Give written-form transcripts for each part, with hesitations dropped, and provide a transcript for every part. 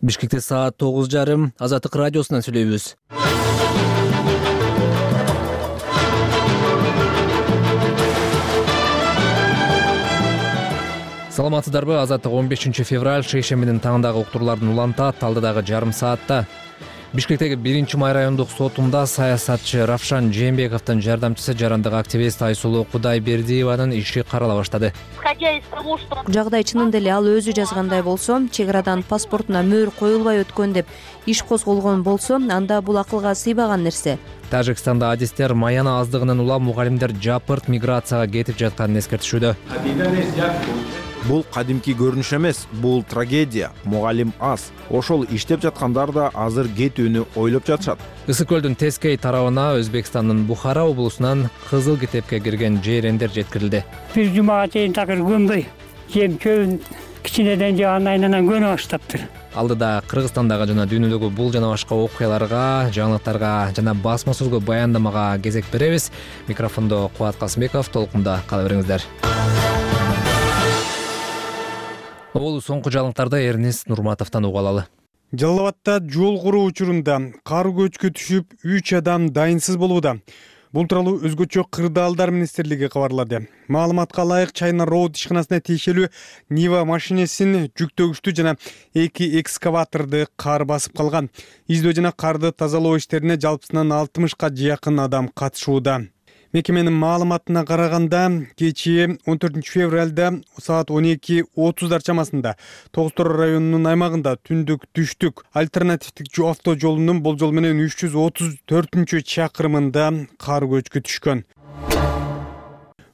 Бишкекте саат 9:30 Азаттык радиосунан сүйлөйбүз. Саламатсыздарбы? Азаттык 15 февраль шейшембинин таңындагы уктуруулардын улантат алдыдагы жарым саатта. Бишкектеги 1-май райондук сотунда саясатчы Равшан Жээнбековдун жардамчысы жарандык активист Айсулуу Кудайбердиеванын иши карала баштады. Жагдай чынында эле ал өзү жазгандай болсо, чек арадан паспортуна мөөр коюлбай өткөн деп иш козголгон болсо, анда бул акылга сыйбаган нерсе. Тажикстанда адистер маяна аздыгынан улам мугалимдер жапырт миграцияга кетип жатканын эскертишүүдө. Бул кадимки көрүнүш эмес, бул трагедия. Мугалим аз. Ошол иштеп жаткандар да азыр кетүүнү ойлоп жатышат. Ысык көлдүн Тескей тарабына Өзбекстандын Бухара облусунан Кызыл Китепке кирген жейрендер жеткирилди. Бир жумага чейин такыр көнбөй, жем чөбүн кичинеден же айнанан көнө баштаптыр. Алдыда Кыргызстандагы жана дүйнөдөгү бул жана башка окуяларга, жаңылыктарга жана басма сөзгө баяндамага кезек беребиз. Микрофондо Кубат Касымбеков, толкунда кала бериңиздер. Бул соңку жаңылыктарды Эрнест Нурматовдон угуп алалы. Жалал Абадта жол куруу учурунда кар көчкү түшүп 3 адам дайынсыз болууда. Бул тууралуу өзгөчө кырдаалдар министрлиги кабарлады. Маалыматка ылайык Чайна Роуд ишканасына тиешелүү Нива машинесин жүктөгүчтү жана 2 экскаваторду кар басып калган. Издөө жана карды тазалоо иштерине жалпысынан 60га жакын адам катышууда. Мекеменин маалыматына караганда, кечээ 14 февралда саат 12:30 чамасында Тогуз-Тороо районунун аймагында түндүк-түштүк альтернативдик автожолунун болжол менен 334-чакырымында кар көчкү түшкөн.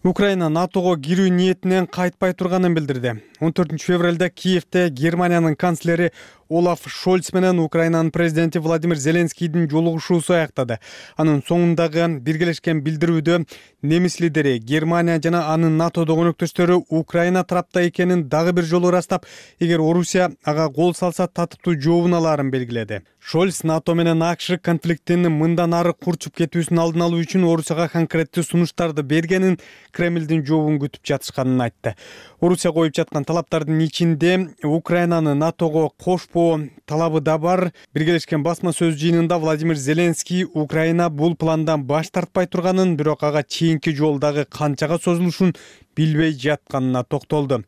Украина НАТОго кирүү ниетинен кайтпай турганын билдирди. 14 февралда Киевде Германиянын канцлери Олаф Шольц менен Украинанын президенти Владимир Зеленскийдин жолугушуусу аяктады. Анын соңундагы биргелешкен билдирүүдө немис лидери Германия жана анын НАТОдогу өнөктөштөрү Украина тарапта экенин дагы бир жолу ырастап, эгер Орусия ага кол салса татыктуу жообун алаарын белгиледи. Шольц НАТО менен АКШ конфликттин мындан ары курчуп кетүүсүнүн алдын алуу үчүн Орусияга конкреттүү сунуштарды бергенин, Кремлдин жообун күтүп жатышканын айтты. Орусия коюп жаткан талаптардын ичинде Украинаны НАТОго кошпоо талабы да бар. Биргелешкен басма сөз жыйынында Владимир Зеленский Украина бул пландан баш тартпай турганын, бирок ага чейинки жолдагы канчага созулушун билбей жатканына токтолду.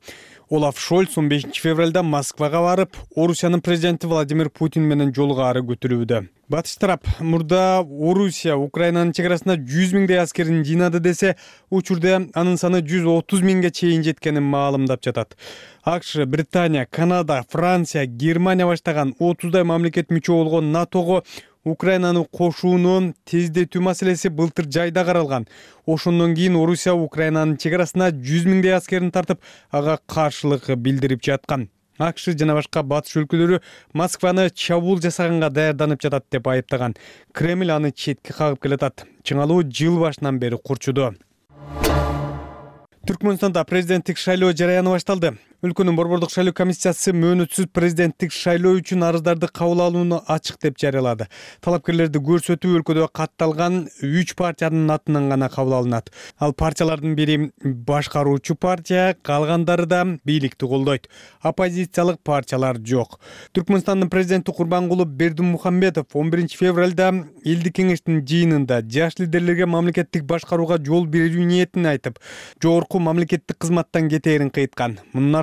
Олаф Шольц 15 февралда Москвага барып, Орусиянын президенти Владимир Путин менен жолугары көтөрүүдө. Батыш тарап мурда Орусия Украинанын чек арасына 100 миңдей аскерин жыйнады десе, учурда анын саны 130 миңге чейин жеткенин маалымдап жатат. АКШ, Британия, Канада, Франция, Германия баштаган 30дай мамлекет мүчө болгон НАТОго Украинаны кошууну тездетүү маселеси былтыр жайда каралган. Ошондон кийин Орусия Украинанын чек арасына 100 миңдей аскерин тартып, ага каршылык билдирип жаткан. АКШ жана башка батыш өлкөлөрү Москваны чабуул жасаганга даярданып жатат деп айыптаган. Кремль аны четке кагып келатат. Чыңалуу жыл башынан бери курчуду. Түркмөнстанда президенттик шайлоо жараяны башталды. Өлкөнүн борбордук шайлоо комиссиясы мөөнөтсүз президенттик шайлоо үчүн арыздарды кабыл алууну ачык деп жарыялады. Талапкерлерди көрсөтүү өлкөдө катталган 3 партиянын атынан гана кабыл алынат. Ал партиялардын бири башкаруучу партия, калгандары да бийликти колдойт. Оппозициялык партиялар жок. Түркмөнстандын президенти Курбангулы Бердимухамедов 11 февралда элдик кеңештин жыйынында жаш лидерлерге мамлекеттик башкарууга жол берүү ниетин айтып, жогорку мамлекеттик кызматтан кетээрин кыйткан.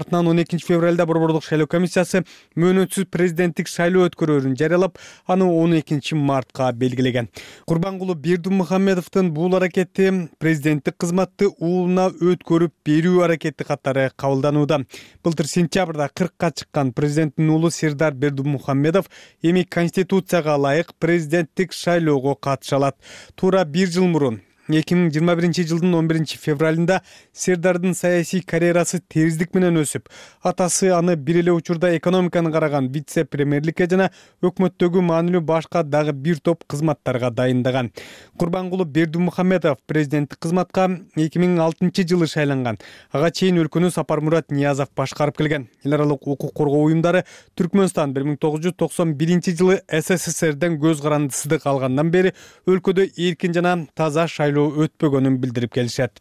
12 февралда борбордук шайлоо комиссиясы мөөнөтсүз президенттик шайлоо өткөрүүрүн жарыялап, аны 12 мартка белгилеген. Курбангулы Бердимухамедовдун бул аракети президенттик кызматты уулуна өткөрүп берүү аракети катары кабылданууда. Былтыр сентябрда 40ка чыккан президенттин уулу Сердар Бердимухамедов эми конституцияга ылайык президенттик шайлоого катыша алат. Туура 1 жыл мурун 2021 жылдын 11 февралында Сердардын саясий карьерасы тездик менен өсүп, атасы аны бир эле учурда экономиканы караган вице-премьерликке жана өкмөттөгү маанилүү башка дагы бир топ кызматтарга дайындаган. Курбангулы Бердимухамедов президенттик кызматка 2006 жылы шайланган. Ага чейин өлкөнү Сапармурат Ниязов башкарып келген. Эл аралык укук коргоо уюмдары Түркмөнстан 1991 жылы СССРден көз карандысыздык алгандан бери өлкөдө эркин жана таза шайлоо өтпөгөнүн билдирип келишет.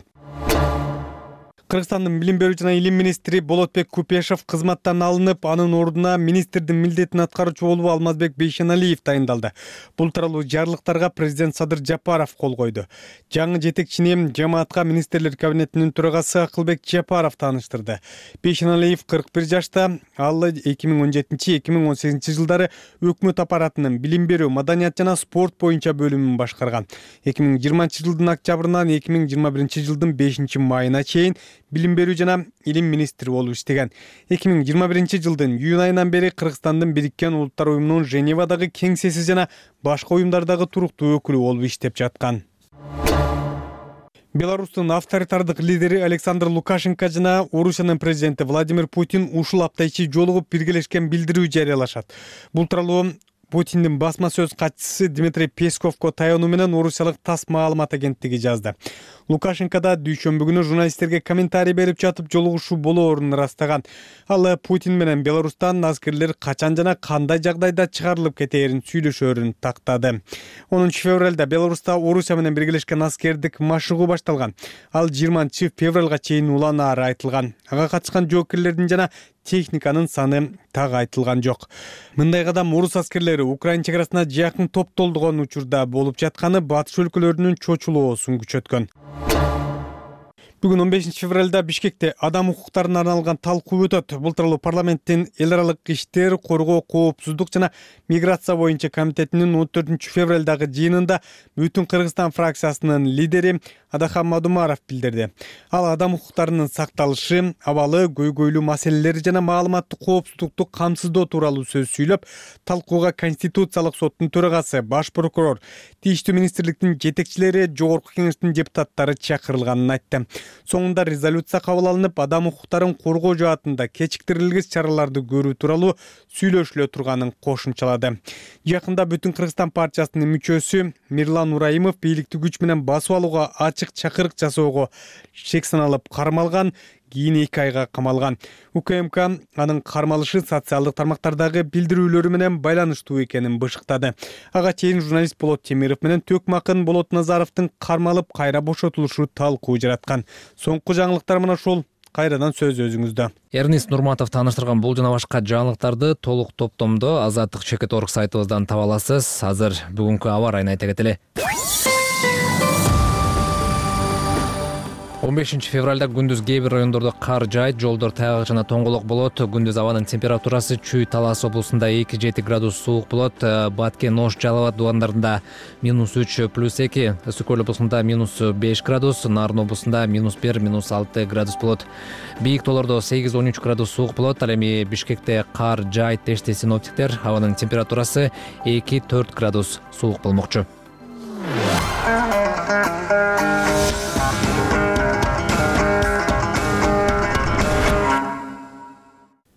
Кыргызстандын билим берүү жана илим министри Болотбек Купешов кызматтан алынып, анын ордуна министрдин милдетин аткаруучу болуп Алмазбек Бейшеналиев дайындалды. Бул тууралуу жарлыктарга президент Садыр Жапаров кол койду. Жаңы жетекчини жамаатка министрлер кабинетинин төрагасы Акылбек Жапаров тааныштырды. Бейшеналиев 41 жашта, ал 2017-2018 жылдары өкмөт аппаратынын билим берүү, маданият жана спорт боюнча бөлүмүн башкарган. 2020 жылдын октябрынан 2021 жылдын 5 майына чейин билим берүү жана илим министри болуп иштеген. 2021 жылдын июнь айынан бери Кыргызстандын Бириккен Улуттар уюмунун Женевадагы кеңсеси жана башка уюмдардагы туруктуу өкүлү болуп иштеп жаткан. Беларустун авторитардык лидери Александр Лукашенко жана Орусиянын президенти Владимир Путин ушул апта ичи жолугуп биргелешкен билдирүү жарыялашат. Бул тууралуу Путиндин басма сөз катчысы Дмитрий Песковго таянуу менен орусиялык ТАСС маалымат агенттиги жазды. Лукашенко да дүйшөмбү күнү журналисттерге комментарий берип жатып жолугушуу болоорун ырастаган. Ал Путин менен Беларустан аскерлер качан жана кандай жагдайда чыгарылып кетээрин сүйлөшөөрүн тактады. 10 февралда Беларуста Орусия менен биргелешкен аскердик машыгуу башталган. Ал 20 февралга чейин уланаары айтылган. Ага катышкан жоокерлердин жана техниканын саны так айтылган жок. Мындай кадам орус аскерлери Украина чек арасына жакын топтолдугон учурда болуп жатканы батыш өлкөлөрүнүн чочулоосун күчөткөн. Бүгүн 15 февралда Бишкекте адам укуктарына арналган талкуу өтөт. Бул тууралуу парламенттин эл аралык иштер, коргоо, коопсуздук жана миграция боюнча комитетинин 14 февралдагы жыйынында Бүтүн Кыргызстан фракциясынын лидери Адахан Мадумаров билдирди. Ал адам укуктарынын сакталышы, абалы, көйгөйлүү маселелери жана маалыматтык коопсуздукту камсыздоо тууралуу сөз сүйлөп, талкууга Конституциялык соттун төрагасы, баш прокурор, тийиштүү министрликтин жетекчилери, жогорку кеңештин депутаттары чакырылганын айтты. Соңунда резолюция кабыл алынып, адам укуктарын коргоо жаатында кечиктирилгис чараларды көрүү тууралуу сүйлөшүлө турганын кошумчалады. Жакында Бүтүн Кыргызстан партиясынын мүчөсү Мирлан Ураимов бийликти күч менен басып алууга ачык чакырык жасоого шек саналып кармалган, кийин 2 айга камалган. УКМК анын кармалышы социалдык тармактардагы билдирүүлөрү менен байланыштуу экенин бышыктады. Ага чейин журналист Болот Темиров менен Төкмакын Болот Назаровдун кармалып кайра бошотулушу талкуу жараткан. Соңку жаңылыктар мына ушул. Кайрадан сөз өзүңүздө. Эрнис Нурматов тааныштырган бул жана башка жаңылыктарды толук топтомдо Азаттык Чекит.org сайтыбыздан таба аласыз. Азыр бүгүнкү аба ырайын айта кетели. 15 февралда күндүз кээ бир райондордо кар жаайт, жолдор тайгак жана тоңголок болот. Күндүз абанын температурасы Чүй, Талас облусунда 2-7 градус суук болот. Баткен, Ош, Жалал абад дубандарында -3 +2, Ысык-Көл облусунда -5 градус, Нарын облусунда -1, -6 градус болот. Бийик тоолордо 8-13 градус суук болот. Ал эми Бишкекте кар жаайт дешти синоптиктер. Абанын температурасы 2-4 градус суук болмокчу.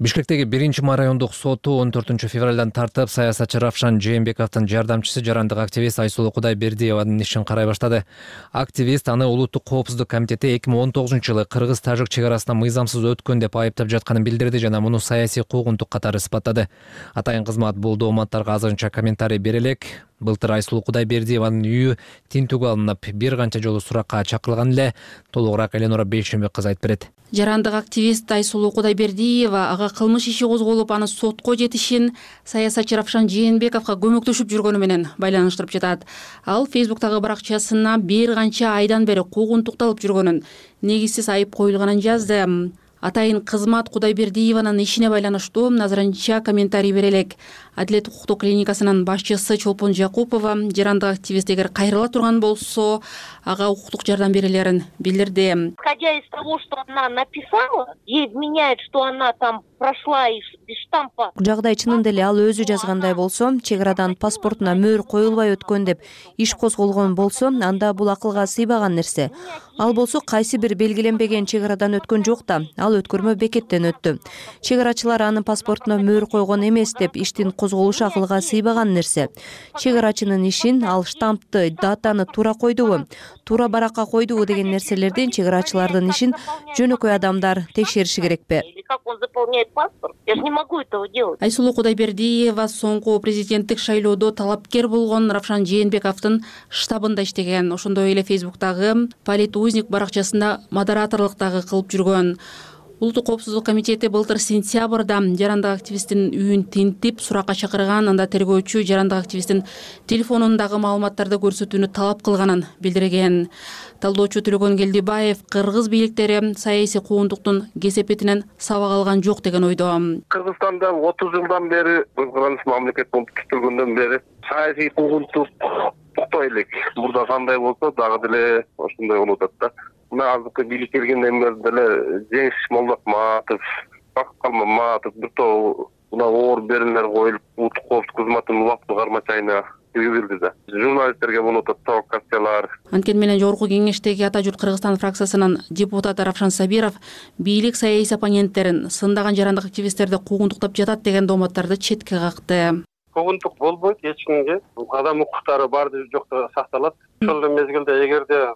Бишкектеги 1-май райондук соту 14 февралдан тартып саясатчы Равшан Жээнбековдун жардамчысы жарандык активист Айсулуу Кудайбердиеванын ишин карай баштады. Активист аны Улуттук коопсуздук комитети 2019-жылы Кыргыз-Тажик чек арасына мыйзамсыз өткөн деп айыптап жатканын билдирди жана муну саясий куугунтук катары испаттады. Атайын кызмат бул дооматтарга азырынча комментарий бере элек. Былтыр Айсулуу Кудайбердиеванын үйү тинтүүгө алынып, бир канча жолу суракка чакырылган эле. Толугураак Эленора Бейшембек кызы айтып берет. Жарандык активист Айсулуу Кудайбердиева ага кылмыш иши козголуп, аны сотко жетишин саясатчы Равшан Жээнбековго көмөктөшүп жүргөнү менен байланыштырып жатат. Ал Фейсбуктагы баракчасына бир канча айдан бери куугунтукталып жүргөнүн, негизсиз айып коюлганын жазды. Атайын кызмат Кудайбердиеванын ишине байланыштуу азырынча комментарий бере элек. Адилет укуктук клиникасынын башчысы Чолпон Жакупова жарандык активист эгер кайрыла турган болсо, ага укуктук жардам берилерин билдирди. Исходя из того, что она написала, ей вменяет, что она там прошла без штампа. Жагдай чынында эле ал өзү жазгандай болсо, чек арадан паспортуна мөөр коюлбай өткөн деп иш козголгон болсо, анда бул акылга сыйбаган нерсе. Ал болсо кайсы бир белгиленбеген чек арадан өткөн жок да. Ал ал өткөрмө бекеттен өттү. Чек арачылар анын паспортуна мөөр койгон эмес деп иштин козголушу акылга сыйбаган нерсе. Чек арачынын ишин ал штампты, датаны туура койдубу, туура баракка койдубу деген нерселердин чек арачылардын ишин жөнөкөй адамдар текшериши керекпи? Или как он заполняет паспорт? Я же не могу этого делать. Айсулуу Кудайбердиева соңку президенттик шайлоодо талапкер болгон Равшан Жээнбековдун штабында иштеген. Ошондой эле Фейсбуктагы политузник баракчасында модераторлук дагы кылып жүргөн. Улуттук коопсуздук комитети былтыр сентябрда жарандык активисттин үйүн тинтип суракка чакырган. Анда тергөөчү жарандык активисттин телефонундагы маалыматтарды көрсөтүүнү талап кылганын билдирген. Талдоочу Төлөгөн Келдибаев кыргыз бийликтери саясий куугунтуктун кесепетинен сабак алган жок деген ойдо. Кыргызстанда 30 жылдан бери кыргыз мамлекет болуп түзүлгөндөн бери саясий куугунтук туктай элек. Мурда кандай болсо дагы деле ошондой болуп атат да. Мына азыркы бийлик келгенден бери деле Жеңиш Молдокматов, Бакыт Калмаматов бир топ мына оор берүүлөр коюлуп, улуттук коопсуздук кызматынын убактылык кармачайына киргизилди да. Журналисттерге болуп атат провокациялар. Анткени менен жогорку кеңештеги Ата журт Кыргызстан фракциясынын депутаты Равшан Сабиров бийлик саясий оппоненттерин сындаган жарандык активисттерди куугунтуктап жатат деген дооматтарды четке какты. Куугунтук болбойт эч кимге. Адам укуктары баары жокто сакталат. Ошол мезгилде эгерде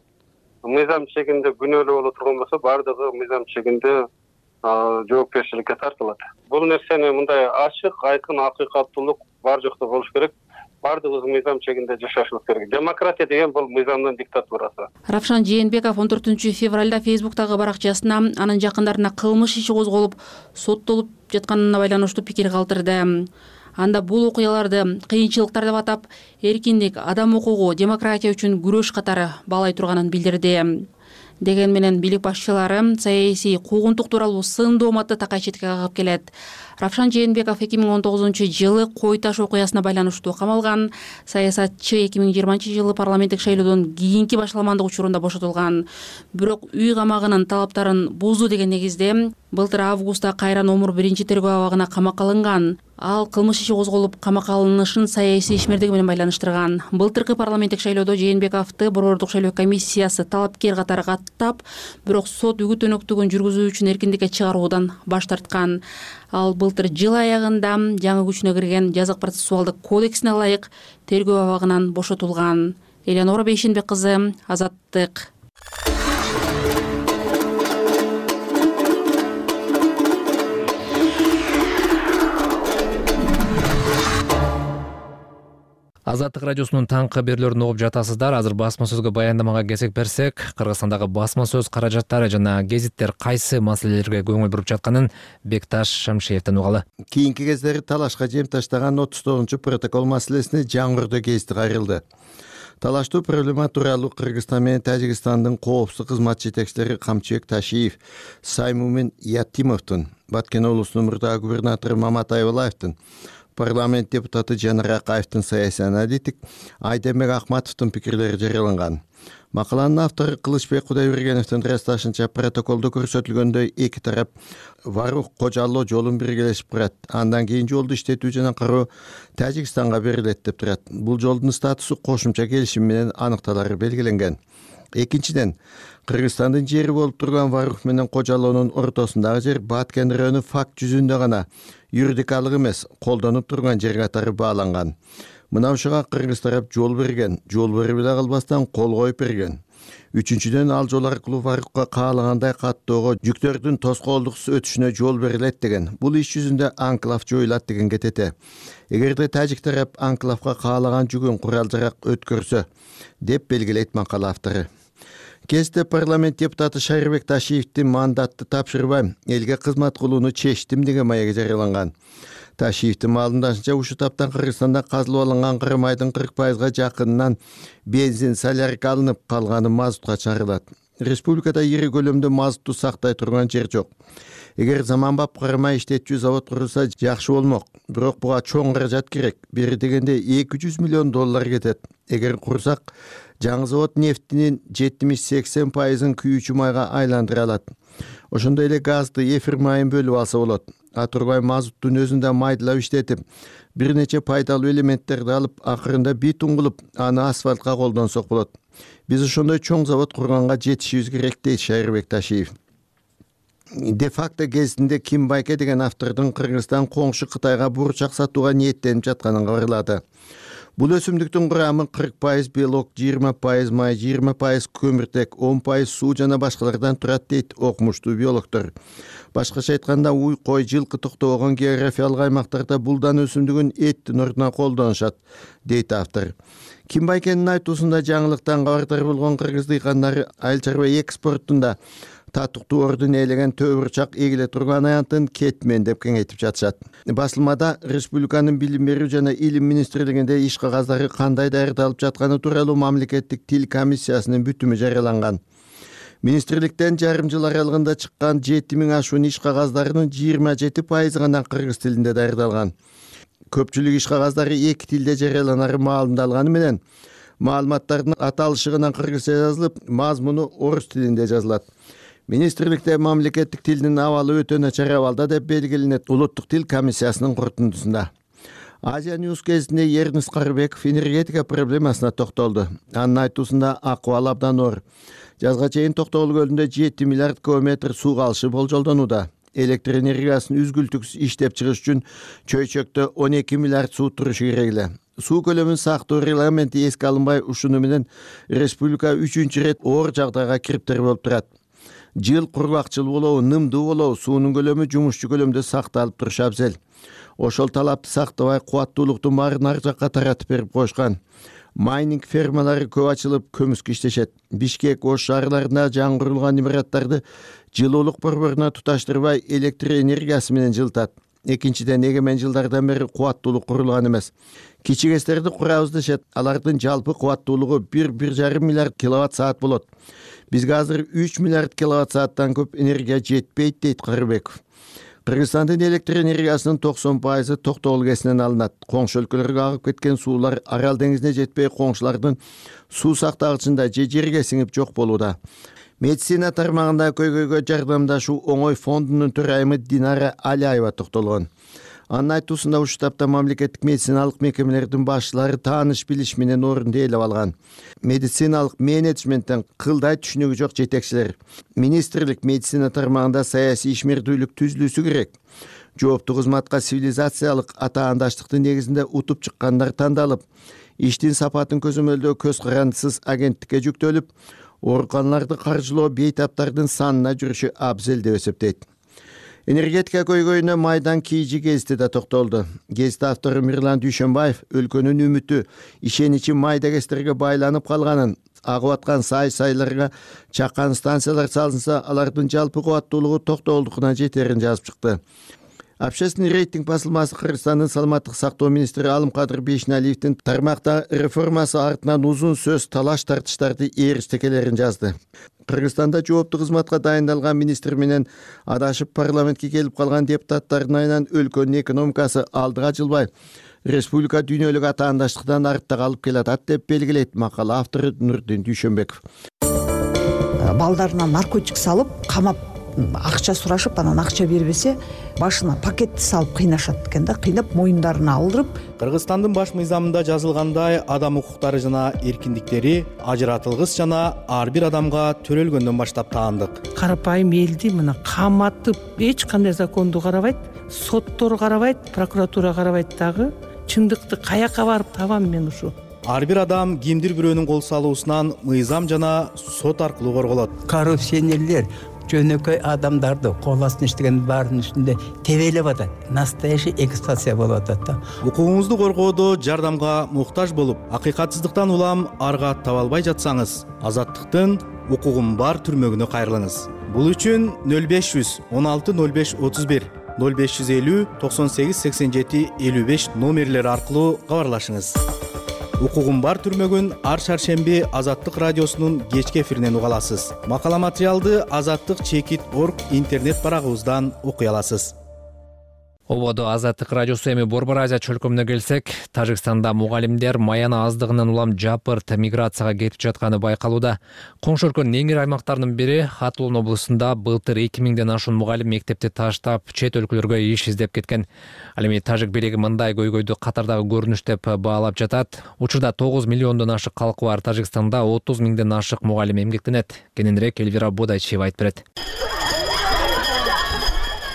мыйзам чегинде күнөөлүү боло турган болсо баардыгы мыйзам чегинде жоопкерчиликке тартылат. Бул нерсени мындай ачык, айкын, акыйкаттуулук бар жокто болуш керек. Баардыгыбыз мыйзам чегинде жашашыбыз керек. Демократия деген бул мыйзамдын диктатурасы. Равшан Жээнбеков 14 февралда Фейсбуктагы баракчасына анын жакындарына кылмыш иши козголуп, соттолуп жатканына байланыштуу пикир калтырды. Анда бул окуяларды кыйынчылыктар деп атап, эркиндик, адам укугу, демократия үчүн күрөш катары баалай турганын билдирди. Деген менен бийлик башчылары саясий куугунтук тууралуу сын дооматты такай четке кагып келет. Равшан Жээнбеков 2019-жылы Кой таш окуясына байланыштуу камалган. Саясатчы 2020-жылы парламенттик шайлоодон кийинки башаламандык учурунда бошотулган. Бирок үй камагынын талаптарын бузду деген негизде былтыр августта кайра номер 1-тергөө абагына камакка алынган. Ал кылмыш иши козголуп камакка алынышын саясий ишмердиги менен байланыштырган. Былтыркы парламенттик шайлоодо Жээнбековду борбордук шайлоо комиссиясы талапкер катары каттап, бирок сот үгүт өнөктүгүн жүргүзүү үчүн эркиндикке чыгаруудан баш тарткан. Ал былтыр жыл аягында жаңы күчүнө кирген жазык процессуалдык кодексине ылайык тергөө абагынан бошотулган. Элеонора Бейшенбек кызы, Азаттык. Азаттык радиосунун таңкы берүүлөрүн угуп жатасыздар. Азыр басма сөзгө баяндамага кесек берсек, Кыргызстандагы басма сөз каражаттары жана гезиттер кайсы маселелерге көңүл буруп жатканын Бекташ Шамшиевден угалы. Кийинки кездери талашка жем таштаган 39-протокол маселесине жаңырды кести кайрылды. Талаштуу проблема тууралуу Кыргызстан менен Тажикстандын коопсуздук кызмат жетекчилери Камчыбек Ташиев, Саймумин Ятимовдун, Баткен облусунун мурдагы губернатору Мамат Айбалаевдин, парламент депутаты Жанар Акаевдин саясий аналитик Айдембек Акматовдун пикирлери жарыяланган. Макаланын автору Кылычбек Кудайбергеновдун ырасташынча протоколдо көрсөтүлгөндөй эки тарап Варух Кожалоо жолун биргелешип турат. Андан кийин жолду иштетүү жана кароо Тажикстанга берилет деп турат. Бул жолдун статусу кошумча келишим менен аныкталары белгиленген. Экинчиден, Кыргызстандын жери болуп турган Варух менен Кожалоонун ортосундагы жер Баткен району факт жүзүндө гана юридикалык эмес, колдонуп турган жер катары бааланган. Мына ушуга кыргыз тарап жол берген, жол берип эле калбастан кол коюп берген. Үчүнчүдөн, ал жол аркылуу Варукка каалагандай каттоого жүктөрдүн тоскоолдуксуз өтүшүнө жол берилет деген. Бул иш жүзүндө анклав жоюлат деген кетете. Эгерде тажик тарап анклавга каалаган жүгүн курал-жарак өткөрсө, деп белгилейт макала автору. Кезде парламент депутаты Шарибек Ташиевдин мандатты тапшырбайм, элге кызмат кылууну чечтим деген маеги жарыяланган. Ташиевдин маалымдашынча, ушу таптан Кыргызстанда казылып алынган кырым айдын 40%га жакынынан бензин, солярка алынып калганы мазутка чыгарылат. Республикада ири көлөмдө мазутту сактай турган жер жок. Эгер заманбап кырма иштетчү завод курулса жакшы болмок, бирок буга чоң каражат керек. Бери дегенде $200 миллион кетет. Эгер курсак, жаңы завод нефтинин 70-80%ын күйүүчү майга айландыра алат. Ошондой эле газды, эфир майын бөлүп алса болот. Атурбай мазуттун өзүндө майдылап иштетип, бир нече пайдалуу элементтерди алып, акырында битум кылып, аны асфальтка колдонсок болот. Биз ошондой чоң завод курганга жетишибиз керек, дейт Шарибек Ташиев. де факто гезитинде Ким Байке деген автордун Кыргызстан коңшу Кытайга бурчак сатууга ниеттенип жатканын кабарлады. Бул өсүмдүктүн курамы 40% белок, 20% май, 20% көмүртек, 10% суу жана башкалардан турат дейт окумуштуу биологдор. Башкача айтканда, уй, кой, жылкы токтобогон географиялык аймактарда булдан өсүмдүгүн эттин ордуна колдонушат, дейт автор. Ким Байкенин айтуусунда жаңылыктан кабардар болгон кыргыз дыйкандары айыл чарба экспортунда татыктуу ордун ээлеген төбүрчак эгиле турган аянтын кетмен деп кеңейтип жатышат. Басылмада республиканын билим берүү жана илим министрлигинде иш кагаздары кандай даярдалып жатканы тууралуу мамлекеттик тил комиссиясынын бүтүмү жарыяланган. Министрликтен жарым жыл аралыгында чыккан 7000 ашуун иш кагаздарынын 27% гана кыргыз тилинде даярдалган. Көпчүлүк иш кагаздары эки тилде жарыяланары маалымдалганы менен маалыматтардын аталышы гана кыргызча жазылып, мазмуну орус тилинде жазылат. Министрликте мамлекеттик тилдин абалы өтө начар абалда деп белгиленет Улуттук тил комиссиясынын корутундусунда. Азия Ньюс гезитинде Эрнест Карыбеков энергетика проблемасына токтолду. Анын айтуусунда акыбал абдан оор. Жазга чейин Токтогул көлүндө 7 миллиард кубометр суу калышы болжолдонууда. Электр энергиясын үзгүлтүксүз иштеп чыгыш үчүн чөйчөктө 12 миллиард суу турушу керек эле. Суу көлөмүн сактоо регламенти эске алынбай ушуну менен республика 3-чү рет оор жагдайга кириптер болуп турат. Жыл кургакчыл болобу, нымдуу болобу, суунун көлөмү жумушчу көлөмдө сакталып турушу абзел. Ошол талапты сактабай, кубаттуулуктун баарын ар жакка таратып берип коюшкан. Майнинг фермалары көп ачылып, көмүскө иштешет. Бишкек, Ош шаарларында жаңгырылган имараттарды жылуулук борборуна туташтырбай электр энергиясы менен жылытат. Экинчиден, эгемен жылдардан бери кубаттуулук курулган эмес. Кичигестерди курабыз дешет. Алардын жалпы кубаттуулугу 1,5 миллиард киловатт саат болот. Бизге азыр 3 миллиард киловатт сааттан көп энергия жетпейт, дейт Карыбеков. Кыргызстандын электр энергиясынын 90% Токтогул КЭСинен алынат. Коңшу өлкөлөргө агып кеткен суулар Арал деңизине жетпей, коңшулардын суу сактагычында же жерге сиңип жок болууда. Медицина тармагында көйгөйгө жардамдашуу оңой фондунун төрайымы Динара Алиаева токтолгон. Анын айтуусунда ушул таапта мамлекеттик медициналык мекемелердин башчылары тааныш билиш менен орунду ээлеп алган. Медициналык менеджменттен кылдай түшүнүгү жок жетекчилер. Министрлик медицина тармагында саясий ишмердүүлүк түзүлүшү керек. Жооптуу кызматка цивилизациялык атаандаштыктын негизинде утуп чыккандар тандалып, иштин сапатын көзөмөлдөө көз карандысыз агенттикке жүктөлүп, ооруканаларды каржылоо бейтаптардын санына жүрүшү абзел деп эсептейт. Энергетика көйгөйүнө майдан кийжи гезити да токтолду. Гезит автору Мирлан Дүйшөнбаев өлкөнүн үмүтү, ишеничи майда кезтерге байланып калганын, агып аткан сай-сайларга чакан станциялар салынса, алардын жалпы кубаттуулугу Токтогулдукуна жетерин жазып чыкты. Общественный рейтинг басылмасы Кыргызстандын саламаттык сактоо министри Алымкадыр Бейшеналиевдин тармакта реформасы артынан узун сөз талаш тартыштарды ээрчтекелерин жазды. Кыргызстанда жооптуу кызматка дайындалган министр менен адашып парламентке келип калган депутаттардын айынан өлкөнүн экономикасы алдыга жылбай, республика дүйнөлүк атаандаштыктан артта калып келатат деп белгилейт макала автору Нурдин Дүйшөнбеков. Балдарына наркотик салып, камап акча сурашып, анан акча бербесе, башына пакетти салып кыйнашат экен да, кыйнап моюндарына алдырып. Кыргызстандын баш мыйзамында жазылгандай, адам укуктары жана эркиндиктери ажыратылгыс жана ар бир адамга төрөлгөндөн баштап таандык. Карапайым элди мына каматып, эч кандай законду карабайт, соттор карабайт, прокуратура карабайт дагы. Чындыкты каяка барып табам мен ушу? Ар бир адам кимдир бирөөнүн кол салуусунан мыйзам жана сот аркылуу корголот. Коррупционерлер жөнөкөй адамдарды кол астына иштеген баардын үстүндө тебелеп атат. Настоящий эксплуатация болуп атат да. Укугуңузду коргоодо жардамга муктаж болуп, акыйкатсыздыктан улам арга таба албай жатсаңыз, Азаттыктын укугум бар түрмөгүнө кайрылыңыз. Бул үчүн 0500 16 05 31 0550 98 87 55 номерлери аркылуу кабарлашыңыз. Укугум бар түрмөгүн ар шаршемби Азаттык радиосунун кечки эфиринен уга аласыз. Макала материалды azattik.org интернет барагыбыздан окуй аласыз. Ободо Азаттык радиосу эми Борбор Азия чөлкөмүнө келсек, Тажикстанда мугалимдер маяна аздыгынан улам жапырт миграцияга кетип жатканы байкалууда. Коңшу өлкөнүн эң ири аймактарынын бири Хатулун облусунда былтыр 2000ден ашуун мугалим мектепти таштап, чет өлкөлөргө иш издеп кеткен. Ал эми тажик бийлиги мындай көйгөйдү катардагы көрүнүш деп баалап жатат. Учурда 9 миллиондон ашык калкы бар Тажикстанда 30 миңден ашык мугалим эмгектенет. Кененирээк Элвира Бодайчиева айтып берет.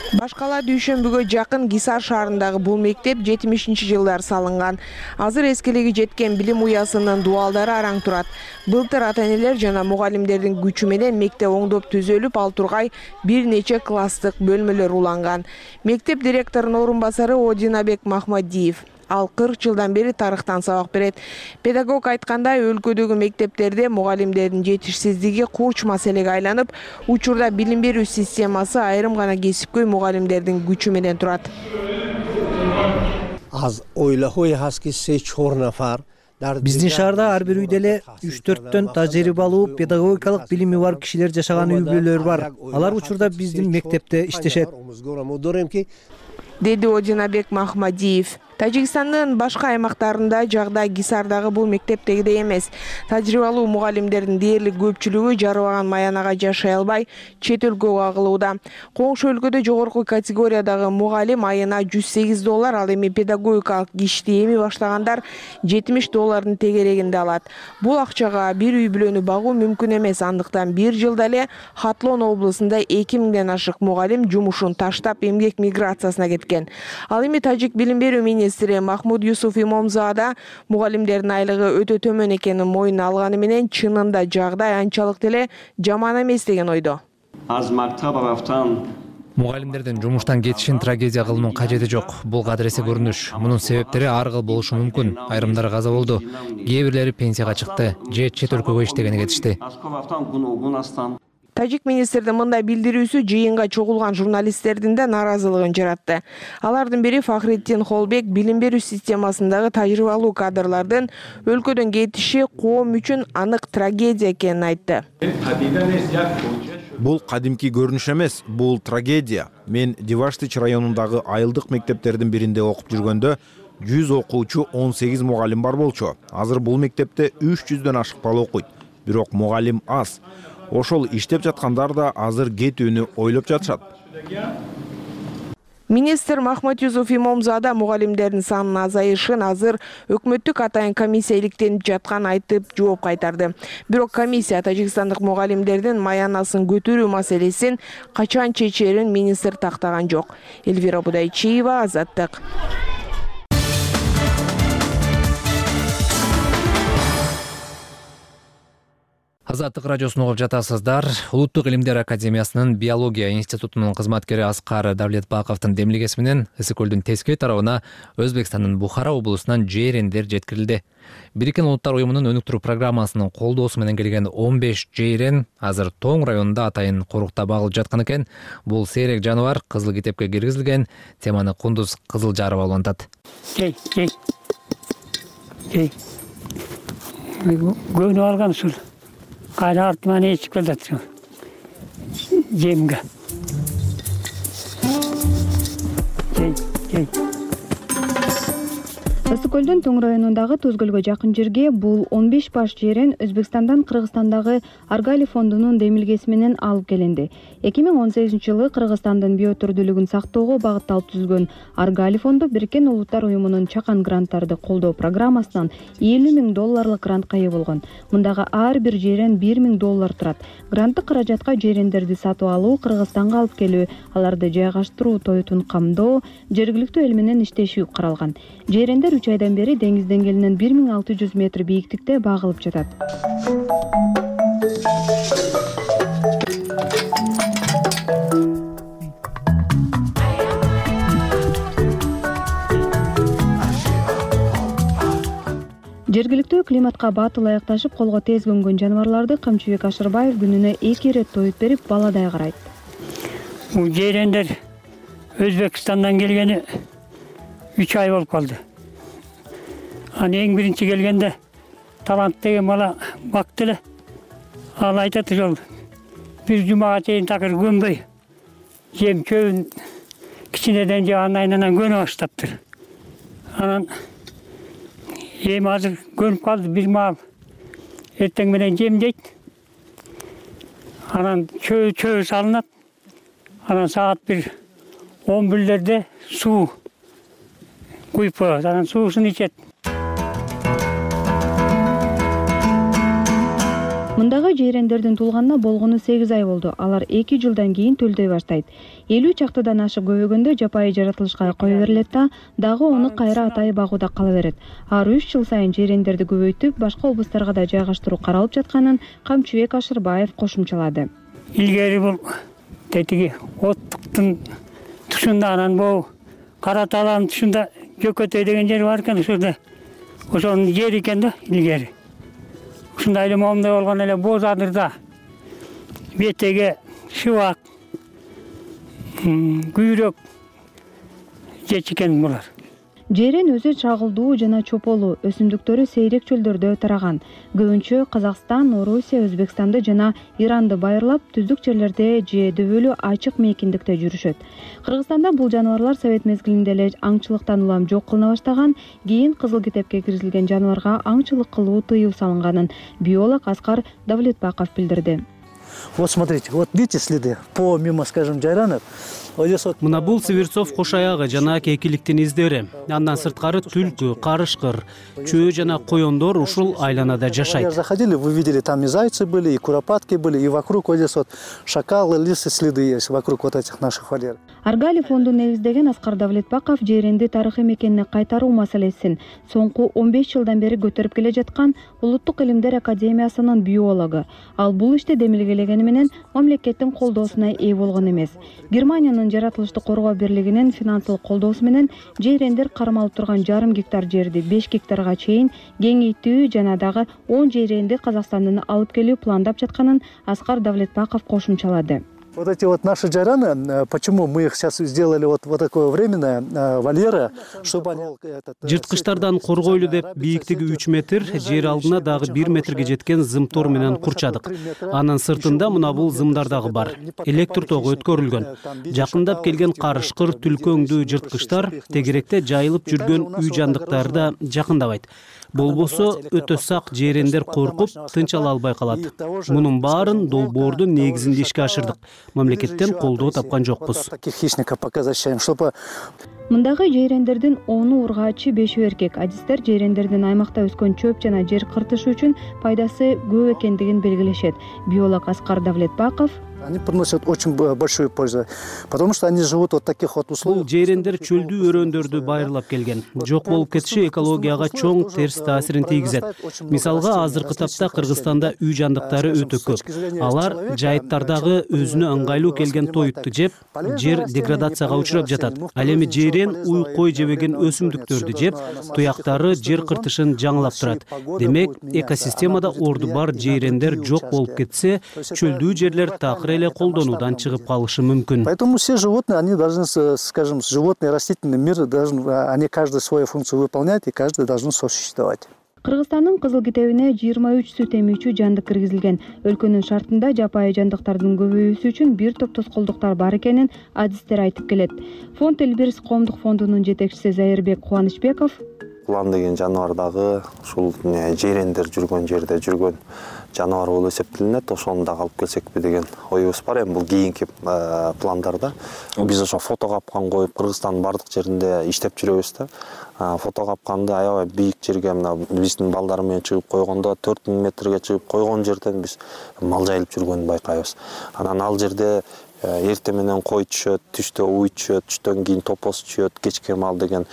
Башкала дүйшөмбүгө жакын Гисар шаарындагы бул мектеп 70-жылдар салынган. Азыр эскилиги жеткен билим уясынын дубалдары араң турат. Былтыр ата-энелер жана мугалимдердин күчү менен мектеп оңдоп түзөлүп, ал тургай бир нече класстык бөлмөлөр уланган. Мектеп директорунун орун басары Одинабек Махмадиев. Ал 40 жылдан бери тарыхтан сабак берет. Педагог айткандай, өлкөдөгү мектептерде мугалимдердин жетишсиздиги курч маселеге айланып, учурда билим берүү системасы айрым гана кесипкөй мугалимдердин күчү менен турат. Биздин шаарда ар бир үйдө эле 3-4төн тажрыйбалуу педагогикалык билими бар кишилер жашаган үй бүлөлөр бар. Алар учурда биздин мектепте иштешет, деди Одинабек Махмадиев. Тажикстандын башка аймактарында жагдай Гисардагы бул мектептегидей эмес. Тажрыйбалуу мугалимдердин дээрлик көпчүлүгү жарыбаган Маянага жашай албай, чет өлкөгө агылууда. Коңшу өлкөдө жогорку категориядагы мугалим айына $108, ал эми педагогикалык ишти эми баштагандар $70 тегерегинде алат. Бул акчага бир үй бүлөнү багуу мүмкүн эмес, андыктан бир жылда эле Хатлон облусунда 2000ден ашык мугалим жумушун таштап эмгек миграциясына кеткен. Ал эми тажик билим берүү министри Махмуд Юсуф Имомзада мугалимдердин айлыгы өтө төмөн экенин моюнуна алганы менен чынында жагдай анчалык деле жаман эмес деген ойдо. Мугалимдердин жумуштан кетишин трагедия кылуунун кажети жок. Бул кадыресе көрүнүш. Мунун себептери ар кыл болушу мүмкүн. Айрымдары каза болду. Кээ бирлери пенсияга чыкты же чет өлкөгө иштегени кетишти. Тажик министрдин мындай билдирүүсү жыйынга чогулган журналисттердин да наразылыгын жаратты. Алардын бири Фахриддин Холбек билим берүү системасындагы тажрыйбалуу кадрлардын өлкөдөн кетиши коом үчүн анык трагедия экенин айтты. Бул кадимки көрүнүш эмес, бул трагедия. Мен Диваштыч районундагы айылдык мектептердин биринде окуп жүргөндө 100 окуучу 18 мугалим бар болчу. Азыр бул мектепте 300дөн ашык бала окуйт. Бирок мугалим аз. Ошол иштеп жаткандар да азыр кетүүнү ойлоп жатышат. Министр Махмуд Юсуф Имомзада мугалимдердин санынын азайышын азыр өкмөттүк атайын комиссия иликтенип жатканын айтып жооп кайтарды. Бирок комиссия тажикстандык мугалимдердин маянасын көтөрүү маселесин качан чечерин министр тактаган жок. Эльвира Будайчиева, Азаттык. Азаттык радиосун угуп жатасыздар. Улуттук илимдер академиясынын биология институтунун кызматкери Аскар Давлетбаковдун демилгеси менен Ысык көлдүн тескей тарабына Өзбекстандын Бухара облусунан жейрендер жеткирилди. Бириккен Улуттар уюмунун өнүктүрүү программасынын колдоосу менен келген 15 жейрен азыр Тоң районунда атайын корукта багылып жаткан экен. Бул сейрек жаныбар кызыл китепке киргизилген. Теманы Кундуз Кызылжарова улантат. Көнүп алган ушул. Кайра артыма не чыгып келатыр. Жемге. Ысык көлдүн Тоң районундагы Туз көлгө жакын жерге бул 15 баш жейрен Өзбекстандан Кыргызстандагы Аргали фондунун демилгеси менен алып келинди. 2018-жылы Кыргызстандын биотүрдүүлүгүн сактоого багытталып түзүлгөн Аргали фонду Бириккен Улуттар уюмунун чакан гранттарды колдоо программасынан $50,000 грантка ээ болгон. Мындагы ар бир жейрен $1,000 турат. Гранттык каражатка жейрендерди сатып алуу, Кыргызстанга алып келүү, аларды жайгаштыруу, тоютун камдоо, жергиликтүү эл менен иштешүү каралган. Жейрендер 3 айдан бери деңиз деңгээлинен 1600 метр бийиктикте багылып жатат. Жергиликтүү климатка батыл аякташып колго тез көнгөн жаныбарларды Камчыбек Ашырбаев күнүнө 2 ирет тоюп берип, баладай карайт. Бул жейрендер Өзбекстандан келгени 3 ай болуп калды. Эң биринчи келгенде талант деген бала бакты эле. Ал айтат ошол бир жумага чейин такыр көнбөй, жем чөбүн кичинеден же айнанан көнө баштаптыр. Анан эми азыр көнүп калды, бир маал эртең менен жем жейт. Анан чөбү салынат. Анан саат 11:00 суу куюп коет. Анан суусун ичет. Мындагы жээрендердин туулганына болгону 8 ай болду. Алар 2 жылдан кийин төлдөй баштайт. 50 чактыдан ашып көбөгөндө жапайы жаратылышка кое берилет да, дагы оны кайра атайы багууда кала берет. Ар 3 жыл сайын жээрендерди көбөйтүп, башка облустарга да жайгаштыруу каралып жатканын Камчыбек Ашырбаев кошумчалады. Илгери бул тетиги оттуктун тушунда, анан бул Кара Талаанын тушунда Жөкөтөй деген жер бар экен, ошолда ошонун жери экен да илгери. Ушундай эле момундай болгон эле боз адырда бетеге шыбак, күйрөк жечикен булар. Жээрен өзү чагылдуу жана чополуу, өсүмдүктөрү сейрек чөлдөрдө тараган. Көбүнчө Казакстан, Орусия, Өзбекстанды жана Иранды байырлап, түздүк жерлерде же дөбөлүү ачык мейкиндикте жүрүшөт. Кыргызстанда бул жаныбарлар совет мезгилинде эле аңчылыктан улам жок кылына баштаган, кийин кызыл китепке киргизилген жаныбарга аңчылык кылуу тыюу салынганын биолог Аскар Давлетбаков билдирди. Вот смотрите, вот видите следы помимо, скажем, жайранов. Мына бул Северцов кош аягы жана кекиликтин издери. Андан сырткары түлкү, карышкыр, чөө жана койондор ушул айланада жашайт. Заходили, вы видели, там и зайцы были, и куропатки были, и вокруг вот здесь вот шакалы, лисы следы есть вокруг вот этих наших вольеров. Аргали фондун негиздеген Аскар Давлетбаков жээренди тарыхый мекенине кайтаруу маселесин соңку 15 жылдан бери көтөрүп келе жаткан Улуттук илимдер академиясынын биологу. Ал бул иште демилгелегени менен мамлекеттин колдоосуна ээ болгон эмес. Германиянын жаратылышты коргоо бирлигинин финансылык колдоосу менен жээрендер кармалып турган 1,5 гектар жерди 5 гектарга чейин кеңейтүү жана дагы 10 жээренди Казакстандан алып келүү пландап жатканын Аскар Давлетбаков кошумчалады. Вот эти вот наши жайраны, почему мы их сейчас сделали вот такое временное вольеры, чтобы они... Жырткычтардан коргойлу деп бийиктиги 3 метр, жер алдына дагы 1 метрге жеткен зымтор менен курчадык. Анын сыртында мына бул зымдар дагы бар. Электр тогу өткөрүлгөн. Жакындап келген карышкыр, түлкөңдүү жырткычтар тегеректе жайылып жүргөн үй жандыктарды жакындабайт. Болбосо өтө сак жээрендер коркуп, тынч ала албай калат. Мунун баарын долбоордун негизинде ишке ашырдык. Мамлекеттен колдоо тапкан жокпуз. Мындагы жээрендердин 10-у ургаачы, 5-ü эркек. Адистер жээрендердин аймакта өскөн чөп жана жер кыртышы үчүн пайдасы көп экендигин белгилешет. Биолог Аскар Давлетбаков: Они приносят очень большую пользу, потому что они живут вот таких вот условиях. Бул жээрендер чөлдүү өрөөндөрдү байырлап келген. Жок болуп кетиши экологияга чоң терс таасирин тийгизет. Мисалга, азыркы тапта Кыргызстанда үй жандыктары өтө көп. Алар жайыттардагы өзүнө ыңгайлуу келген тоютту жеп, жер деградацияга учурап жатат. Ал эми жээрен уй кой жебеген өсүмдүктөрдү жеп, туяктары жер кыртышын жаңылап турат. Демек, экосистемада орду бар жээрендер жок болуп кетсе, чөлдүү жерлер такыр эле колдонуудан чыгып калышы мүмкүн. Поэтому все животные, они должны, скажем, животный растительный мир должен, они каждый свою функцию выполнять, и каждый должен сосуществовать. Кыргызстандын кызыл китебине 23 сүт эмүүчү жандык киргизилген. Өлкөнүн шартында жапайы жандыктардын көбөйүүсү үчүн бир топ тоскоолдуктар бар экенин адистер айтып келет. Фонд Элбирис коомдук фондунун жетекчиси Зайырбек Кубанычбеков: Улан деген жаныбар дагы ушул жээрендер жүргөн жерде жүргөн жаныбар болуп эсептелинет. Ошону дагы алып келсекпи деген оюбуз бар. Эми бул кийинки пландарда. Биз ошо фото капкан коюп Кыргызстандын бардык жеринде иштеп жүрөбүз да. Фото капканды аябай бийик жерге, мына биздин балдар менен чыгып койгондо 4000 метрге чыгып койгон жерден биз мал жайылып жүргөнүн байкайбыз. Анан ал жерде эртең менен кой түшөт, түштө уй түшөт, түштөн кийин топоз түшөт, кечке мал деген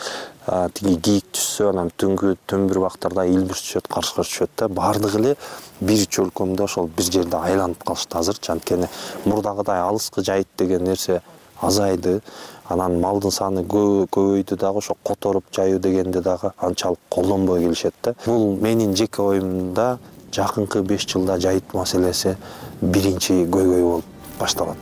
тиги кийик түшсө, анан түнгү төмбүр убактарда илбирс түшөт, карышкыр түшөт да. Бардыгы эле бир чөлкөмдө ошол бир жерде айланып калышты азыр. Анткени мурдагыдай алыскы жайыт деген нерсе азайды. Анан малдын саны көбөйдү дагы, ошо которуп жайуу дегенде дагы анчалык колдонбой келишет да. Бул менин жеке оюмда жакынкы 5 жылда жайыт маселеси биринчи көйгөй болуп башталат,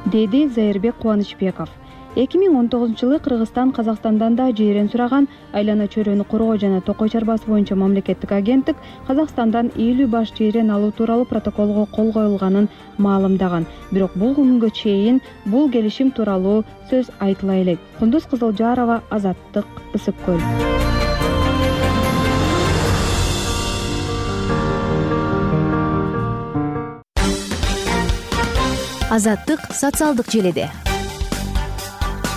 деди Зайырбек Кубанычбеков. 2019-жылы Кыргызстан Казакстандан да жээрен сураган. Айлана чөйрөнү коргоо жана токой чарбасы боюнча мамлекеттик агенттик Казакстандан 50 баш жээрен алуу тууралуу протоколго кол коюлганын маалымдаган. Бирок бул күнгө чейин бул келишим тууралуу сөз айтыла элек. Кундуз Кызылжарова, Азаттык, Ысык көл. Азаттык социалдык желиде.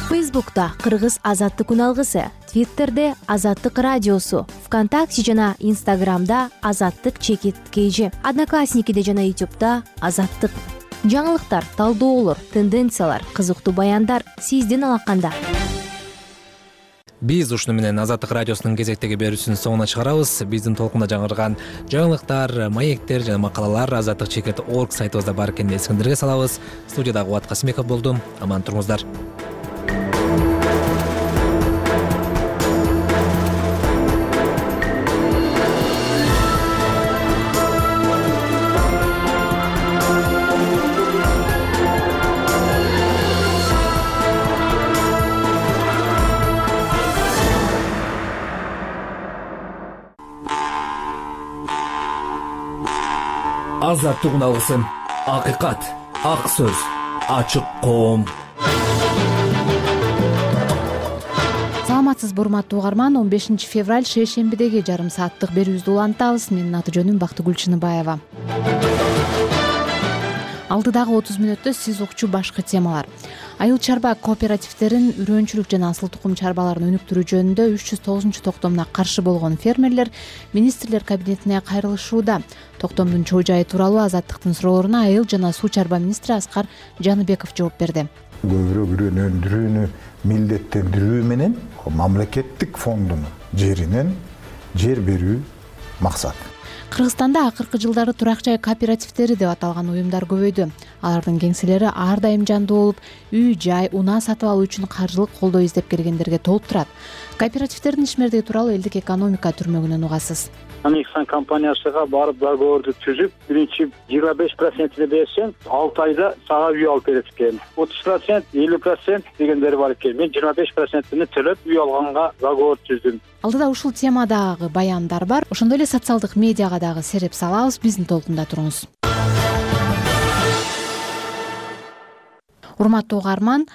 Фейсбукта Кыргыз Азаттык күн алгысы, Твиттерде Азаттык радиосу, ВКонтакте жана Инстаграмда Азаттык_KG, Одноклассникиде жана Ютубда Азаттык. Жаңылыктар, талдоолор, тенденциялар, кызыктуу баяндар сиздин алаканда. Биз ушуну менен Азаттык радиосунун кезектеги берүүсүнүн соңуна чыгарабыз. Биздин толкунда жаңырган жаңылыктар, маектер жана макалалар azattik.org сайтыбызда бар экенин эсиңиздерге салабыз. Студияда Кубат Касымбеков болдум. Аман туруңуздар. Азаттык үналгысы, акыйкат, ак сөз, ачык коом. Саламатсызбы урматтуу угарман, 15 февраль шейшембидеги жарым сааттык берүүбүздү улантабыз. Менин аты жөнүм Бактыгүл Чыныбаева. Алдыдагы 30 мүнөттө сиз укчу башкы темалар. Айыл чарба кооперативдерин үрөөнчүлүк жана асыл тукум чарбаларын өнүктүрүү жөнүндө 309 токтомуна каршы болгон фермерлер министрлер кабинетине кайрылышууда. Токтомдун чоо жайы тууралуу Азаттыктын суроолоруна айыл жана суу чарба министри Аскар Жаныбеков жооп берди. Көбүрөөк үрөөнүндүрүүнү милдеттендирүү менен мамлекеттик фондунун жеринен жер берүү максат. Кыргызстанда акыркы жылдары турак жай кооперативдери деп аталган уюмдар көбөйдү. Алардын кеңселери ар дайым жандуу болуп, үй, жай, унаа сатып алуу үчүн каржылык колдоо издеп келгендерге толуп турат. Кооперативдердин ишмердиги тууралуу элдик экономика түрмөгүнөн угасыз. Анексан компаниясыга барып договорду түзүп, биринчи 25%-ни берсең, 6 айда сага үй алып берет экен. 30%, 50% дегендери бар экен. Мен 25%-ни төлөп үй алганга договор түздүм. Алдыда ушул темадагы баяндар бар. Ошондой эле социалдык медиага дагы сереп салабыз. Биздин толкунда туруңуз. Урматтуу угарман,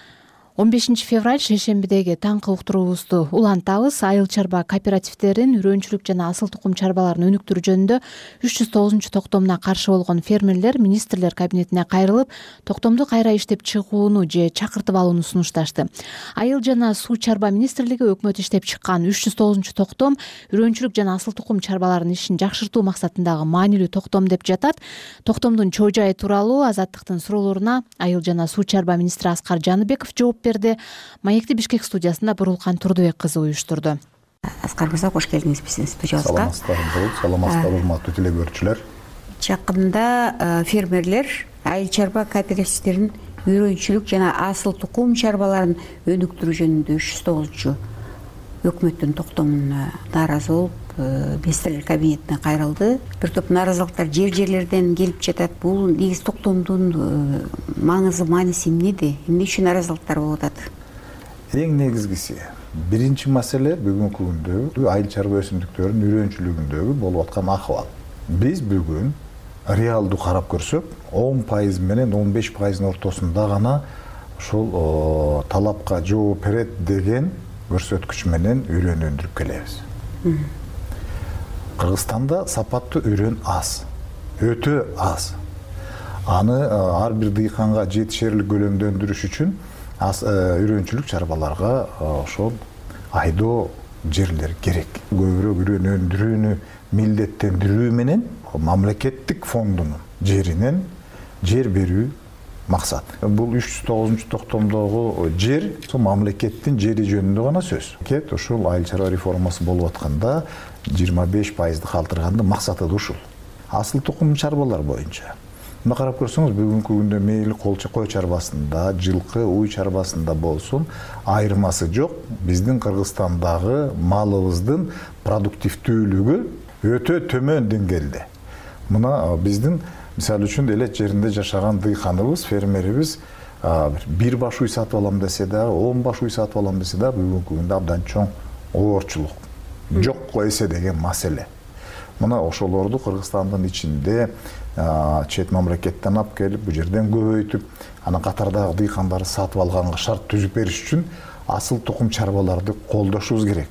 15 февраль шейшембидеги таңкы уктуруубузду улантабыз. Айыл чарба кооперативдерин үрөөнчүлүк жана асыл тукум чарбаларын өнүктүрүү жөнүндө 309 токтомуна каршы болгон фермерлер министрлер кабинетине кайрылып, токтомду кайра иштеп чыгууну же чакыртып алууну сунушташты. Айыл жана суу чарба министрлиги өкмөт иштеп чыккан 309 токтом үрөөнчүлүк жана асыл тукум чарбаларынын ишин жакшыртуу максатындагы маанилүү токтом деп жатат. Токтомдун чоо жайы тууралуу Азаттыктын суроолоруна айыл жана суу чарба министри Аскар Жаныбеков жооп берди. Маекти Бишкек студиясында Бурулкан Турдубек кызы уюштурду. Аскар мырза, кош келдиңиз биздин студиябызга. Саламатсыздар, урматтуу теле-көрүүчүлөр. Жакында фермерлер айыл чарба кооперативдерин үрөөнчүлүк жана асыл тукум чарбаларын өнүктүрүү жөнүндө 309 өкмөттүн токтомуна нааразы болуп, министрлер кабинетине кайрылды. Бир топ нааразылыктар жерлерден келип жатат. Бул негизи токтомдун мааниси эмнеде? Эмне үчүн нааразылыктар болуп атат? Эң негизгиси, биринчи маселе бүгүнкү күндө айыл чарба өсүмдүктөрүнүн үрөөнчүлүгүндөгү болуп аткан акыбал. Биз бүгүн реалдуу карап көрсөк, 10% менен 15%-ын ортосунда гана ушул талапка жооп берет деген көрсөткүч менен үрөөн өндүрүп келебиз. Кыргызстанда сапаттуу үрөөн аз, өтө аз. Аны ар бир дыйканга жетишерлик көлөмдө өндүрүш үчүн үрөөнчүлүк чарбаларга ошол айдоо жерлер керек. Көбүрөөк үрөөн өндүрүүнү милдеттендирүү менен мамлекеттик фондунун жеринен жер берүү максат. Бул 309 токтомдогу жер мамлекеттин жери жөнүндө гана сөз. Кет ушул айыл чарба реформасы болуп атканда 25%ды калтырганды максаты да ушул. Асыл тукум чарбалар боюнча. Мына карап көрсөңүз, бүгүнкү күндө мейли кой чарбасында, жылкы, уй чарбасында болсун, айырмасы жок. Биздин Кыргызстандагы малыбыздын продуктивдүүлүгү өтө төмөн деңгээлде. Мына биздин мисалы үчүн элет жеринде жашаган дыйканыбыз, фермерибиз бир баш уй сатып алам десе да, 10 баш уй сатып алам десе да, бүгүнкү күндө абдан чоң оорчулук, жокко эсе деген маселе. Мына ошолорду Кыргызстандын ичинде чет мамлекеттен алып келип, бу жерден көбөйтүп, анан катардагы дыйкандарды сатып алганга шарт түзүп бериш үчүн асыл тукум чарбаларды колдошубуз керек.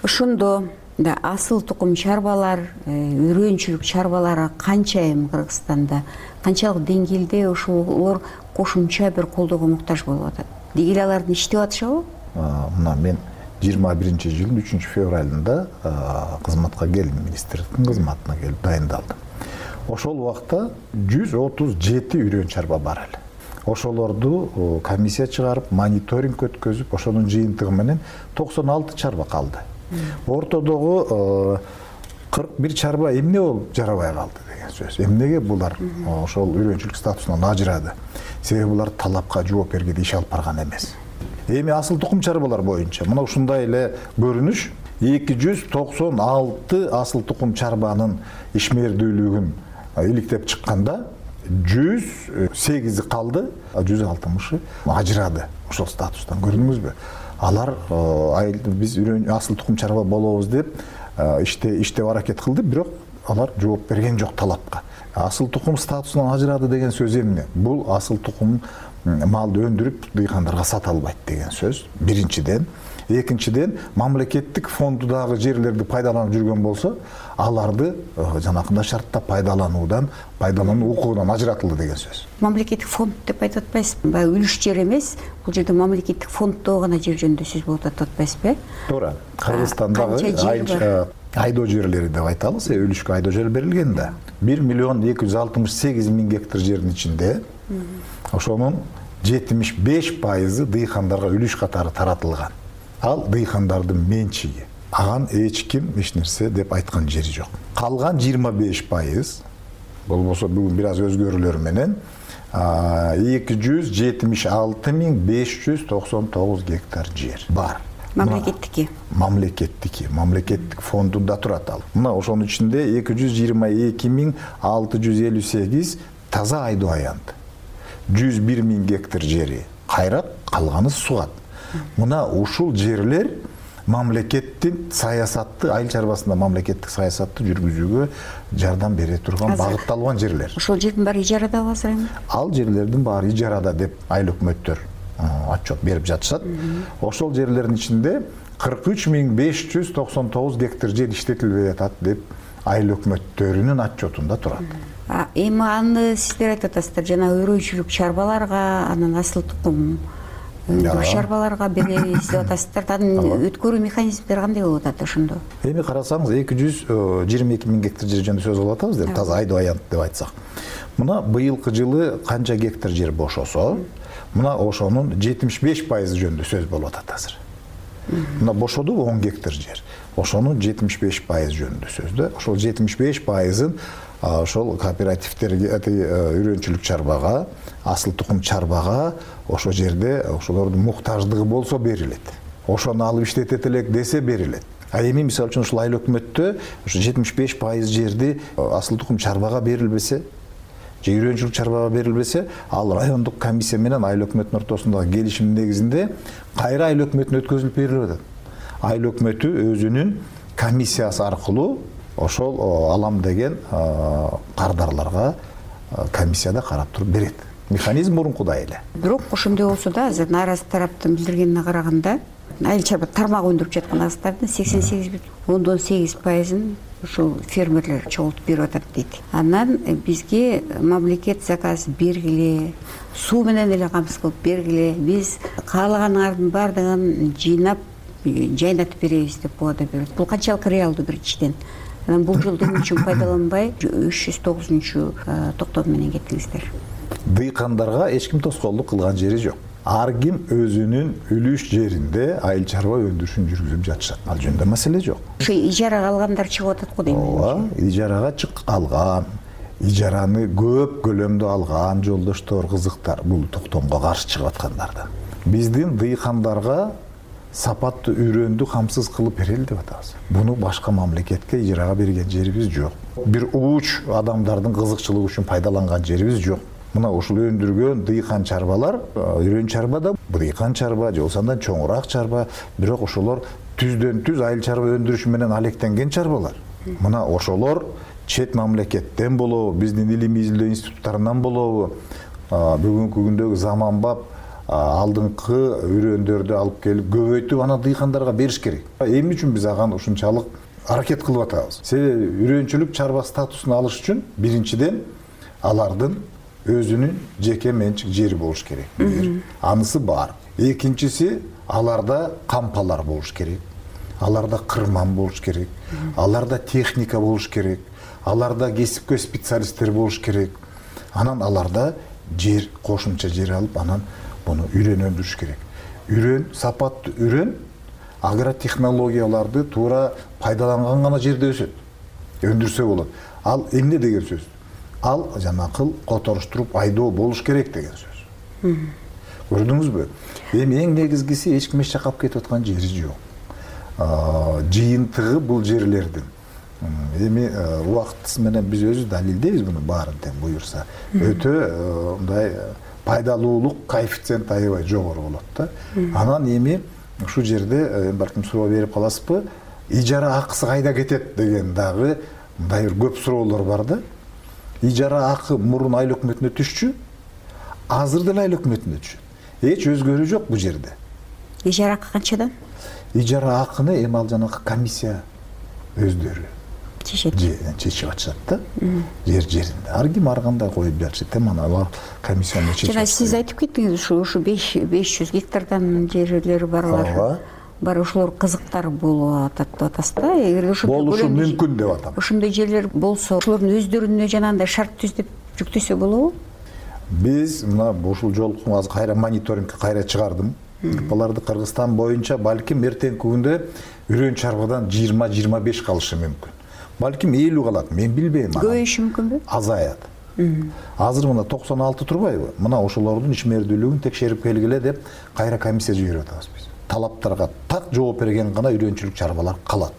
Ошондо да асыл тукум чарбалар, үрөөнчүлүк чарбалары канча эми Кыргызстанда, канчалык деңгээлде ошолор кошумча бир колдоого муктаж болуп атат? Деги эле алардын иштеп атышабы? Мына мен жылдын 3 февралында кызматка келдим, министрликтин кызматына келип дайындалдым. Ошол убакта 137 үрөн чарба бар эле. Ошолорду комиссия чыгарып, мониторинг өткөзүп, ошонун жыйынтыгы менен 96 чарба калды. Ортодогу 41 чарба эмне болуп жарабай калды деген сөз. Эмнеге булар ошол үрөнчүлүк статусунан ажырады? Себеби булар талапка жооп бергенде иш алып барган эмес. Эми асыл тукум чарбалар боюнча мына ушундай эле көрүнүш 296 асыл тукум чарбанын ишмердүүлүгүн иликтеп чыкканда 108 калды, 160 ажырады ошол статустан. Көрдүңүзбү? Алар биз асыл тукум чарба болобуз деп иштеп аракет кылды, бирок алар жооп берген жок талапка. Асыл тукум статусунан ажырады деген сөз эмне? Бул асыл тукум малды өндүрүп дыйкандарга сата албайт деген сөз. Биринчиден, экинчиден мамлекеттик фондудагы жерлерди пайдаланып жүргөн болсо, аларды жанакындай шартта пайдалануу укугунан ажыратылды деген сөз. Мамлекеттик фонд деп айтып атпайсызбы? Баягы үлүш жер эмес, бул жерде мамлекеттик фонддо гана жер жөнүндө сөз болуп атат атпайсызбы? Туура. Кыргызстандагы айдоо жерлери деп айтабыз, үлүшкө айдоо жер берилген да. 1.268.000 гектар жердин ичинде ошонун 75% дыйкандарга үлүш катары таратылган. Ал дыйкандардын менчиги. Аган эч ким эч нерсе деп айткан жери жок. Калган 25% болбосо бүгүн бир аз өзгөрүүлөр менен 276.599 гектар жер бар. Мамлекеттики. Мамлекеттик фондунда турат ал. Мына ошонун ичинде 222.658 таза айдоо аянт. 101.000 гектар жери кайрат, калганы сугат. Мына ушул жерлер мамлекеттин саясатты, айыл чарбасында мамлекеттик саясатты жүргүзүүгө жардам бере турган багытталган жерлер. Ошол жердин баары ижарада азыр эми? Ал жерлердин баары ижарада деп айыл өкмөттөр отчет берип жатышат. Ошол жерлердин ичинде 43.599 гектар жер иштетилбей жатат деп айыл өкмөттөрүнүн отчетунда турат. Эми аны сиздер айтып атасыздар, жана өрөөчүлүк чарбаларга, анан асыл тукум чарбаларга беребиз деп атасыздар. Анын өткөрүү механизмдери кандай болуп атат ошондо? Эми карасаңыз 222.000 гектар жер жөнүндө сөз кылып атабыз деп, таза айдоо аянт деп айтсак. Мына быйылкы жылы канча гектар жер бошосо, мына ошонун 75% жөнүндө сөз болуп атат азыр. Мына бошоду 10 гектар жер. Ошонун 75% жөнүндө сөздө. Ошол 75%-ын ошол кооперативтерге, үрөнчүлүк чарбага, асыл тукум чарбага ошол жерде ошолордун муктаждыгы болсо берилет. Ошону алып иштетет элек десе берилет. Эми мисалы үчүн ушул айыл өкмөттө ошо 75% жерди асыл тукум чарбага берилбесе, же үрөнчүлүк чарбага берилбесе, ал райондук комиссия менен айыл өкмөттүнүн ортосундагы келишим негизинде кайра айыл өкмөтүнө өткөзүлүп берилип атат. Айыл өкмөтү өзүнүн комиссиясы аркылуу ошол алам деген кардарларга комиссияда карап туруп берет. Механизм мурункудай эле. Бирок ошондой болсо да, азыр нааразы тараптын билдиргенине караганда, айыл чарба тармак өндүрүп жаткан азыктардын 88,8%-ын ушул фермерлер чогултуп берип атат дейт. Анан бизге мамлекет заказ бергиле, суу менен эле камсыз кылып бергиле, биз каалаганыңардын баардыгын жыйнап, жайнатып беребиз деп убада берет. Бул канчалык реалдуу биринчиден? Анан бул жолду эмне үчүн пайдаланбай 309-токтом менен кеттиңиздер? Дыйкандарга эч ким тоскоолдук кылган жери жок. Ар ким өзүнүн үлүш жеринде айыл чарба өндүрүшүн жүргүзүп жатышат. Ал жөнүндө маселе жок. Ошо ижарага алгандар чыгып атат го дейм. Ооба, ижарага алган, ижараны көп көлөмдө алган жолдоштор, кызыктар бул токтомго каршы чыгып аткандарда. Биздин дыйкандарга сапаттуу үрөндү камсыз кылып берели деп атабыз. Буну башка мамлекетке ижарага берген жерибиз жок. Бир ууч адамдардын кызыкчылыгы үчүн пайдаланган жерибиз жок. Мына ушул өндүргөн дыйкан чарбалар, үрөн чарба да, дыйкан чарба, же болсо андан чоңураак чарба, бирок ошолор түздөн түз айыл чарба өндүрүшү менен алектенген чарбалар. Мына ошолор чет мамлекеттен болобу, биздин илимий изилдөө институттарынан болобу, бүгүнкү күндөгү заманбап алдыңкы үрөндөрдү алып келип көбөйтүп ана дыйкандарга бериш керек. Эмне үчүн биз аган ушунчалык аракет кылып атабыз? Себеби үрөнчүлүк чарба статусун алыш үчүн биринчиден алардын өзүнүн жеке менчик жери болуш керек. Анысы бар. экинчиси аларда кампалар болуш керек, аларда кырман болуш керек, аларда техника болуш керек, аларда кесипкөй специалисттер болуш керек. Анан аларда жер, кошумча жер алып, анан буну үрөн өндүрүш керек. Үрөн, сапаттуу үрөн агротехнологияларды туура пайдаланган гана жерде өсөт, өндүрсө болот. Ал эмне деген сөз? Ал жанакыл которуштуруп айдоо болуш керек деген сөз. Көрдүңүзбү? Эми эң негизгиси эч ким эч жакка алып кетип аткан жери жок. Жыйынтыгы бул жерлердин. Эми убактысы менен биз өзүбүз далилдейбиз буну баарын тең буюрса. Өтө мындай пайдалуулук коэффициент аябай жогору болот да. Анан эми ушул жерде балким суроо берип каласызбы? Ижара акысы кайда кетет деген дагы мындай бир көп суроолор бар да. Ижара акы мурун айыл өкмөтүнө түшчү, азыр деле айыл өкмөтүнө түшөт. Эч өзгөрүү жок бул жерде. Ижара акы канчадан? Ижара акыны эми ал жанагы комиссия өздөрү чечип атышат да. Жеринде. Ар ким ар кандай коюп жатышат. Теманы алар комиссияны чечип. Жана сиз айтып кеттиңиз, ушу 500 гектардан жерлери барлар. Бар ошолор кызыктар болуп атат деп атасыз да. Эгер ошондой болушу мүмкүн деп атам. Ошондой жерлер болсо, ошолордун өздөрүнө жанагындай шарт түзүп жүктөсө болобу? Биз мына ушул жолку азыр кайра мониторингке кайра чыгардым. Буларды Кыргызстан боюнча балким эртеңки күндө үрөн чарбадан 20-25 калышы мүмкүн. Балким 50 калат, мен билбейм. Көбөйүшү мүмкүнбү? Азаят. Азыр мына 96 турбайбы? Мына ошолордун ичмердүүлүгүн текшерип келгиле деп кайра комиссия жиберип атабыз биз. Талаптарга так жооп берген гана үрөнчүлүк чарбалар калат.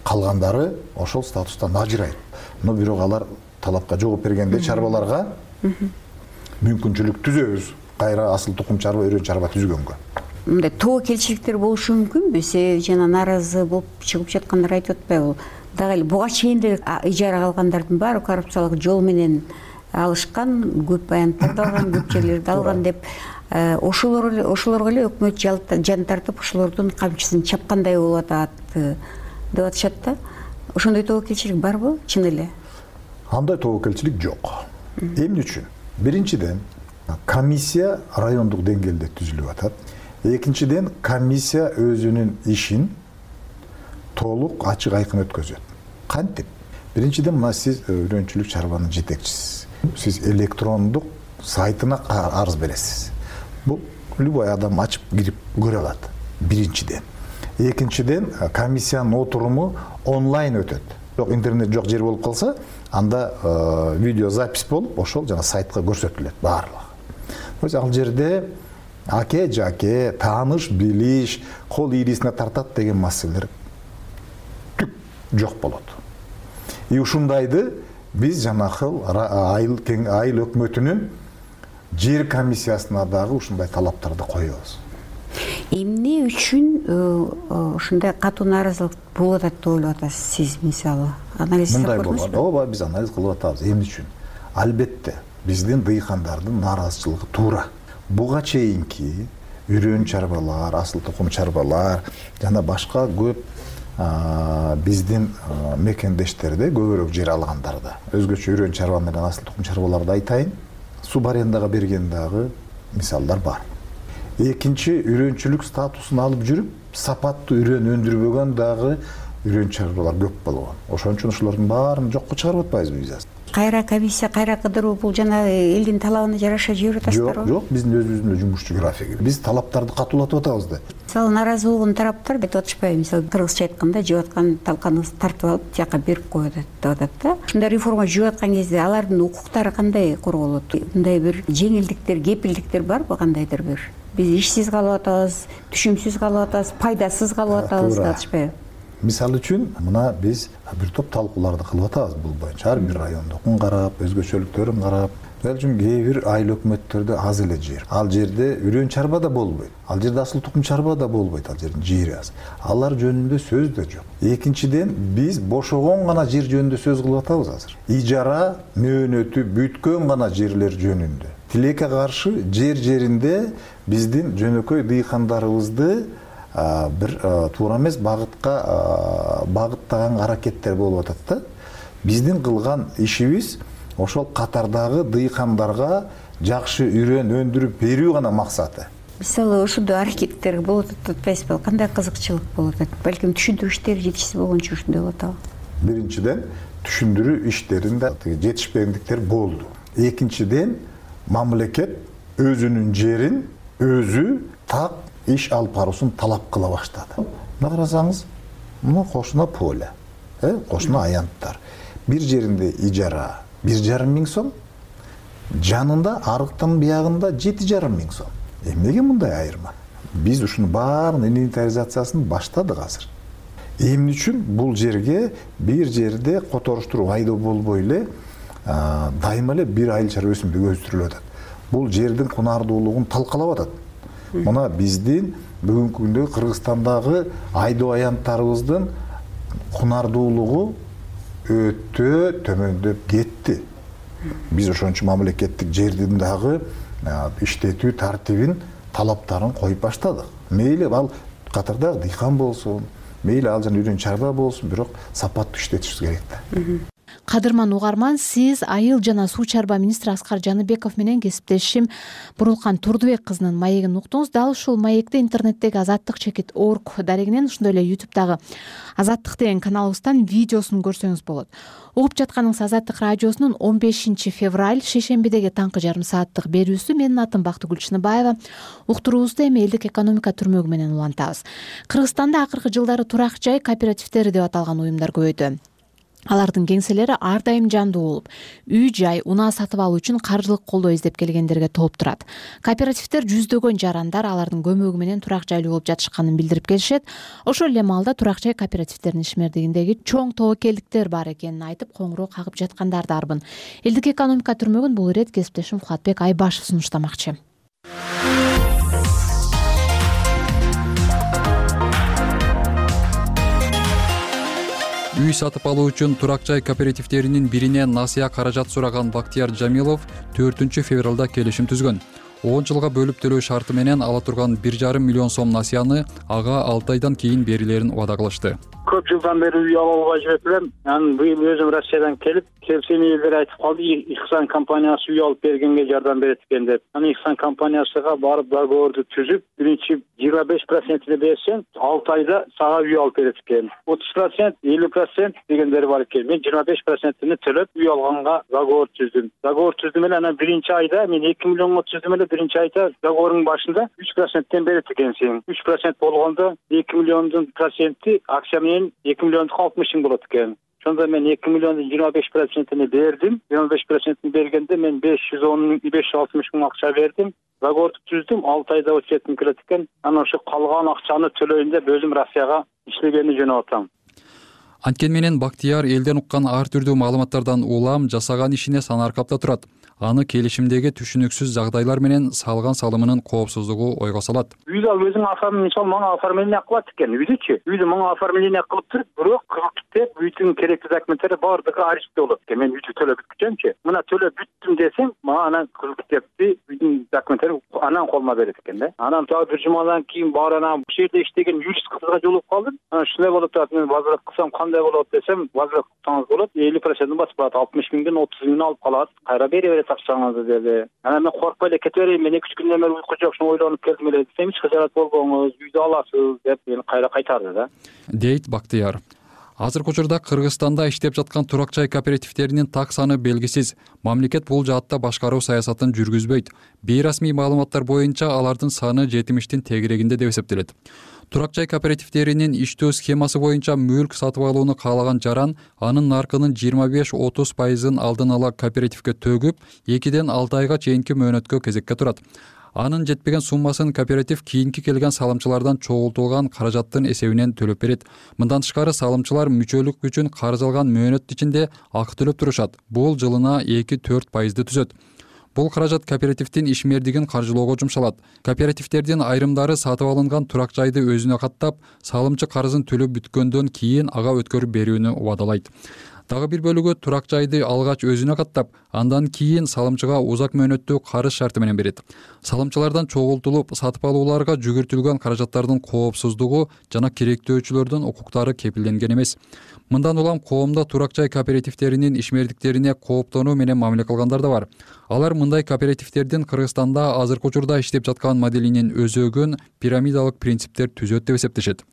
Калгандары ошол статустан ажырайт. Но бирок алар талапка жооп бергенде чарбаларга мүмкүнчүлүк түзөбүз. Кайра асыл тукум чарба, үрөн чарба түзгөнгө. Мындай тобокелчиликтер болушу мүмкүнбү? Себеби жана нааразы болуп чыгып жаткандар айтып атпайбы? Дагы эле буга чейин деле ижара алгандардын баары коррупциялык жол менен алышкан, көп баянттарды алган, көп жерлерди алган деп ошолорго эле өкмөт жан тартып ошолордун камчысын чапкандай болуп атат деп атышат да. Ошондой тобокелчилик барбы, чын эле? Андай тобокелчилик жок. Эмне үчүн? Биринчиден, комиссия райондук деңгээлде түзүлүп атат. Экинчиден, комиссия өзүнүн ишин толук ачык айкын өткөзөт. Кантип? Биринчиден, мына сиз үрөнчүлүк чарбанын жетекчисиз. Сиз электрондук сайтына арыз бересиз. Бул любой адам ачып кирип көрө алат. Биринчиден. Экинчиден, комиссиянын отуруму онлайн өтөт. Жок, интернет жок жер болуп калса, анда видеозапись болуп, ошол жана сайтка көрсөтүлөт баарлыгы. Ал жерде аке жаке, тааныш билиш, кол ийрисине тартат деген маселелер түк жок болот. И ушундайды биз жанакыл айыл өкмөтүнүн жер комиссиясына дагы ушундай талаптарды коебуз. Эмне үчүн ушундай катуу нааразылык болуп атат деп ойлоп атасыз сиз, мисалы? Анализ жасап көрдүңүзбү? Ооба, биз анализ кылып атабыз. Эмне үчүн? Албетте, биздин дыйкандардын нааразычылыгы туура. Буга чейинки үрөн чарбалар, асыл тукум чарбалар жана башка көп биздин мекендештерде көбүрөөк жер алгандарда. Өзгөчө үрөн чарба менен асыл тукум чарбаларды айтайын. Суб арендага берген дагы мисалдар бар. Экинчи, үрөнчүлүк статусун алып жүрүп, сапаттуу үрөн өндүрбөгөн дагы үрөн чарбалар көп болгон. Ошон үчүн ошолордун баарын жокко чыгарып атпайбызбы биз? Кайра комиссия, кайра кыдыруу бул жана элдин талабына жараша жиберип атасыздарбы? Жок, биздин өзүбүздүн жумушчу графиги. Биз талаптарды катуулатып атабыз да. Мисалы, нааразы болгон тараптар айтып атышпайбы? Мисалы, кыргызча айтканда, жеп аткан талканыңызды тартып алып, тияка берип коет деп атат да. Ушундай реформа жүрүп аткан кезде алардын укуктары кандай корголот? Мындай бир жеңилдиктер, кепилдиктер барбы кандайдыр бир? Биз ишсиз калып атабыз, түшүмсүз калып атабыз, пайдасыз калып атабыз деп атышпайбы? Мисал үчүн, мына биз бир топ талкууларды кылып атабыз бул боюнча. Ар бир райондукун карап, өзгөчөлүктөрүн карап. Мисалы үчүн кээ бир айыл өкмөттөрдө аз эле жер. Ал жерде үрөн чарба да болбойт. Ал жерде асыл тукум чарба да болбойт. Ал жердин жери аз. Алар жөнүндө сөз да жок. Экинчиден, биз бошогон гана жер жөнүндө сөз кылып атабыз азыр. Ижара мөөнөтү бүткөн гана жерлер жөнүндө. Тилекке каршы жеринде биздин жөнөкөй дыйкандарыбызды бир туура эмес багыттаган аракеттер болуп атат да. Биздин кылган ишибиз ошол катардагы дыйкандарга жакшы үрөн өндүрүп берүү гана максаты. мисалы ошондой аракеттер болот атпайсызбы, кандай кызыкчылык болот атат, балким түшүндүрүү иштери жетишсиз болгон үчүн ушундай болот атабы. Биринчиден түшүндүрүү иштеринде жетишпендиктер болду. Экинчиден мамлекет өзүнүн жерин өзү так иш алып баруусун талап кыла баштады. Мына карасаңыз, мына кошуна поле, кошуна аянттар. Бир жеринде ижара 1,5 миң сом, жанында арыктын биягында 7,5 миң сом. Эмнеге мындай айырма? Биз ушуну баарын инвентаризациясын баштадык азыр. Эмне үчүн бул жерге бир жерде которуштуруп айдоо болбой эле дайыма эле бир айылчар өсүмдүк өстүрүлүп атат. Бул жердин кунардуулугун талкалап атат. Мына биздин бүгүнкү күндө Кыргызстандагы айдоо аянттарыбыздын кунардуулугу өтө төмөндөп кетти. Биз ошон үчүн мамлекеттик жердин дагы иштетүү тартибин, талаптарын коюп баштадык. Мейли ал катардагы дыйкан болсун, мейли ал жана үйрөн чарба болсун, бирок сапаттуу иштетишибиз керек да. Кадырман угарман, сиз айыл жана суу чарба министри Аскар Жаныбеков менен кесиптешим Бурулкан Турдубек кызынын маегин уктуңуз. Дал ушул маекти интернеттеги azattik.org дарегинен, ошондой эле YouTube'дагы Азаттык деген каналыбыздан видеосун көрсөңүз болот. Угуп жатканыңыз Азаттык радиосунун 15 февраль шейшембидеги таңкы жарым сааттык берүүсү. Менин атым Бактыгүл Чыныбаева. Уктуруубузду эми элдик экономика түрмөгү менен улантабыз. Кыргызстанда акыркы жылдары турак жай кооперативдери деп аталган уюмдар көбөйдү. Алардын кеңселери ар дайым жандуу болуп, үй жай, унаа сатып алуу үчүн каржылык колдоо издеп келгендерге толуп турат. Кооперативдер жүздөгөн жарандар алардын көмөгү менен турак жайлуу болуп жатышканын билдирип келишет. Ошол эле маалда турак жай кооперативдеринин ишмердигиндеги чоң тобокелдиктер бар экенин айтып, коңгуроо кагып жаткандар да арбын. Элдик экономика түрмөгүн бул ирет кесиптешим Фулатбек Айбашев сунуштамакчы. Үй сатып алуу үчүн турак жай кооперативдеринин биринен насыя каражат сураган Бактияр Жамилов 4 февралда келишим түзгөн. 10 жылга бөлүп төлөө шарты менен ала турган 1,5 миллион сом насыяны ага 6 айдан кийин берилерин убада кылышты. Көп жылдан бери үй алууга жүрүп элем. Анан быйыл өзүм Россиядан келип, келсем элдер айтып калды, Ихсан компаниясы үй алып бергенге жардам берет экен деп. Анан Ихсан компаниясыга барып договорду түзүп, биринчи 25%-ни берсең, 6 айда сага үй алып берет экен. 30%, 50% дегендери бар экен. Мен 25%-ни төлөп үй алганга договор түздүм. Договор түздүм эле, анан биринчи айда мен 2 миллионго түздүм эле, биринчи айда договордун башында 3%-тен берет экенсиң. 3% болгондо 2 миллиондун проценти акция менен 2 миллиондук 60 миң болот экен. Ошондо мен 2 миллиондун 25%-ни бердим. 25%-ни бергенде мен 560 миң акча бердим. Договорду түздүм, 6 айда өтөтүм келет экен. Анан ошо калган акчаны төлөйүн деп өзүм Россияга иштегени жөнөп атам. Анткени менен Бактияр элден уккан ар түрдүү маалыматтардан улам жасаган ишине санаркапта турат. Аны келишимдеги түшүнүксүз жагдайлар менен салган салымынын коопсуздугу ойго салат. Үйдү ал өзүң оформление, мисалы мага оформление кылат экен, үйдүчү. Үйдү мага оформление кылып туруп, бирок кылып үйдүн керектүү документтери баардыгы арештте болот экен. Мен үйдү төлөп бүткүчөмчү. Мына төлөп бүттүм десем, мага анан кылыптепти үйдүн документтери анан колума берет экен да. Анан дагы бир жумадан кийин бар анан бул жерде иштеген юрист кызга жолугуп калдым. Анан ушундай болуп атат, мен возврат кылсам кандай болот десем, возврат кылсаңыз болот, 50%-ын басып калат, 60 миңден 30 миңин алып калат. Кайра бере берет акчаңызды деди. Анан мен коркпой эле кете берейин, мен 2 күндөн бери уйку жок, ушуну ойлонуп келдим эле десем, эч кыжаат болбоңуз, үйдү аласыз деп мени кайра кайтарды да. Дейт Бактияр. Азыркы учурда Кыргызстанда иштеп жаткан турак жай кооперативдеринин так саны белгисиз. Мамлекет бул жаатта башкаруу саясатын жүргүзбөйт. Бейрасмий маалыматтар боюнча алардын саны 70-тин тегерегинде деп эсептелет. Турак жай кооперативдеринин иштөө схемасы боюнча мүлк сатып алууну каалаган жаран анын наркынын 25-30%-ын алдын ала кооперативге төгүп, 2-ден 6 айга чейинки мөөнөткө кезекке турат. Анын жетпеген суммасын кооператив кийинки келген салымчылардан чогултулган каражаттын эсебинен төлөп берет. Мындан тышкары салымчылар мүчөлүк үчүн карыз алган мөөнөт ичинде акы төлөп турушат. Бул жылына 2-4%-ды түзөт. Бул каражат кооперативдин ишмердигин каржылоого жумшалат. Кооперативдердин айрымдары сатып алынган турак жайды өзүнө каттап, салымчы карызын төлөп бүткөндөн кийин ага өткөрүп берүүнү убадалайт. Дагы бир бөлүгү турак жайды алгач өзүнө каттап, андан кийин салымчыга узак мөөнөттүү карыз шарты менен берет. Салымчылардан чогултулуп сатып алууларга жүгүртүлгөн каражаттардын коопсуздугу жана керектөөчүлөрдүн укуктары кепилденген эмес. Мындан улам коомдо турак жай кооперативдеринин ишмердиктерине кооптонуу менен мамиле кылгандар да бар. Алар мындай кооперативдердин Кыргызстанда азыркы учурда иштеп жаткан моделинин өзөгүн пирамидалык принциптер түзөт деп эсептешет.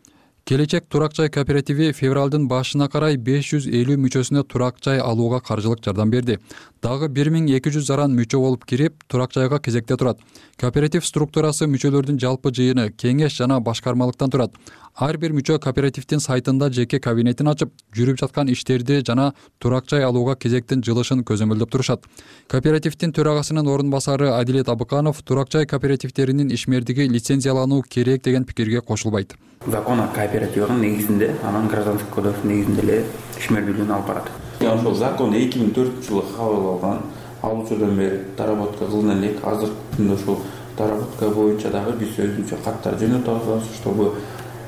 Келечек турак жай кооперативи февралдын башына карай 550 мүчөсүнө турак жай алууга каржылык жардам берди. Дагы 1200 заран мүчө болуп кирип, турак жайга кезекте турат. Кооператив структурасы мүчөлөрдүн жалпы жыйыны, кеңеш жана башкармалыктан турат. Ар бир мүчө кооперативдин сайтында жеке кабинетин ачып, жүрүп жаткан иштерди жана турак жай алууга кезектин жылышын көзөмөлдөп турушат. Кооперативдин төрагасынын орун басары Адилет Абыканов турак жай кооперативдеринин ишмердиги лицензиялануу керек деген пикирге кошулбайт. Закон о кооперативдин негизинде, анан гражданский кодекстин негизинде эле ишмердүүлүгүн алып барат. Ошол закон 2004-жылы кабыл алган. Ал учурдан бери доработка кылына элек. Азыркы күндө ошол доработка боюнча дагы биз өзүнчө каттар жөнөтүп атабыз, чтобы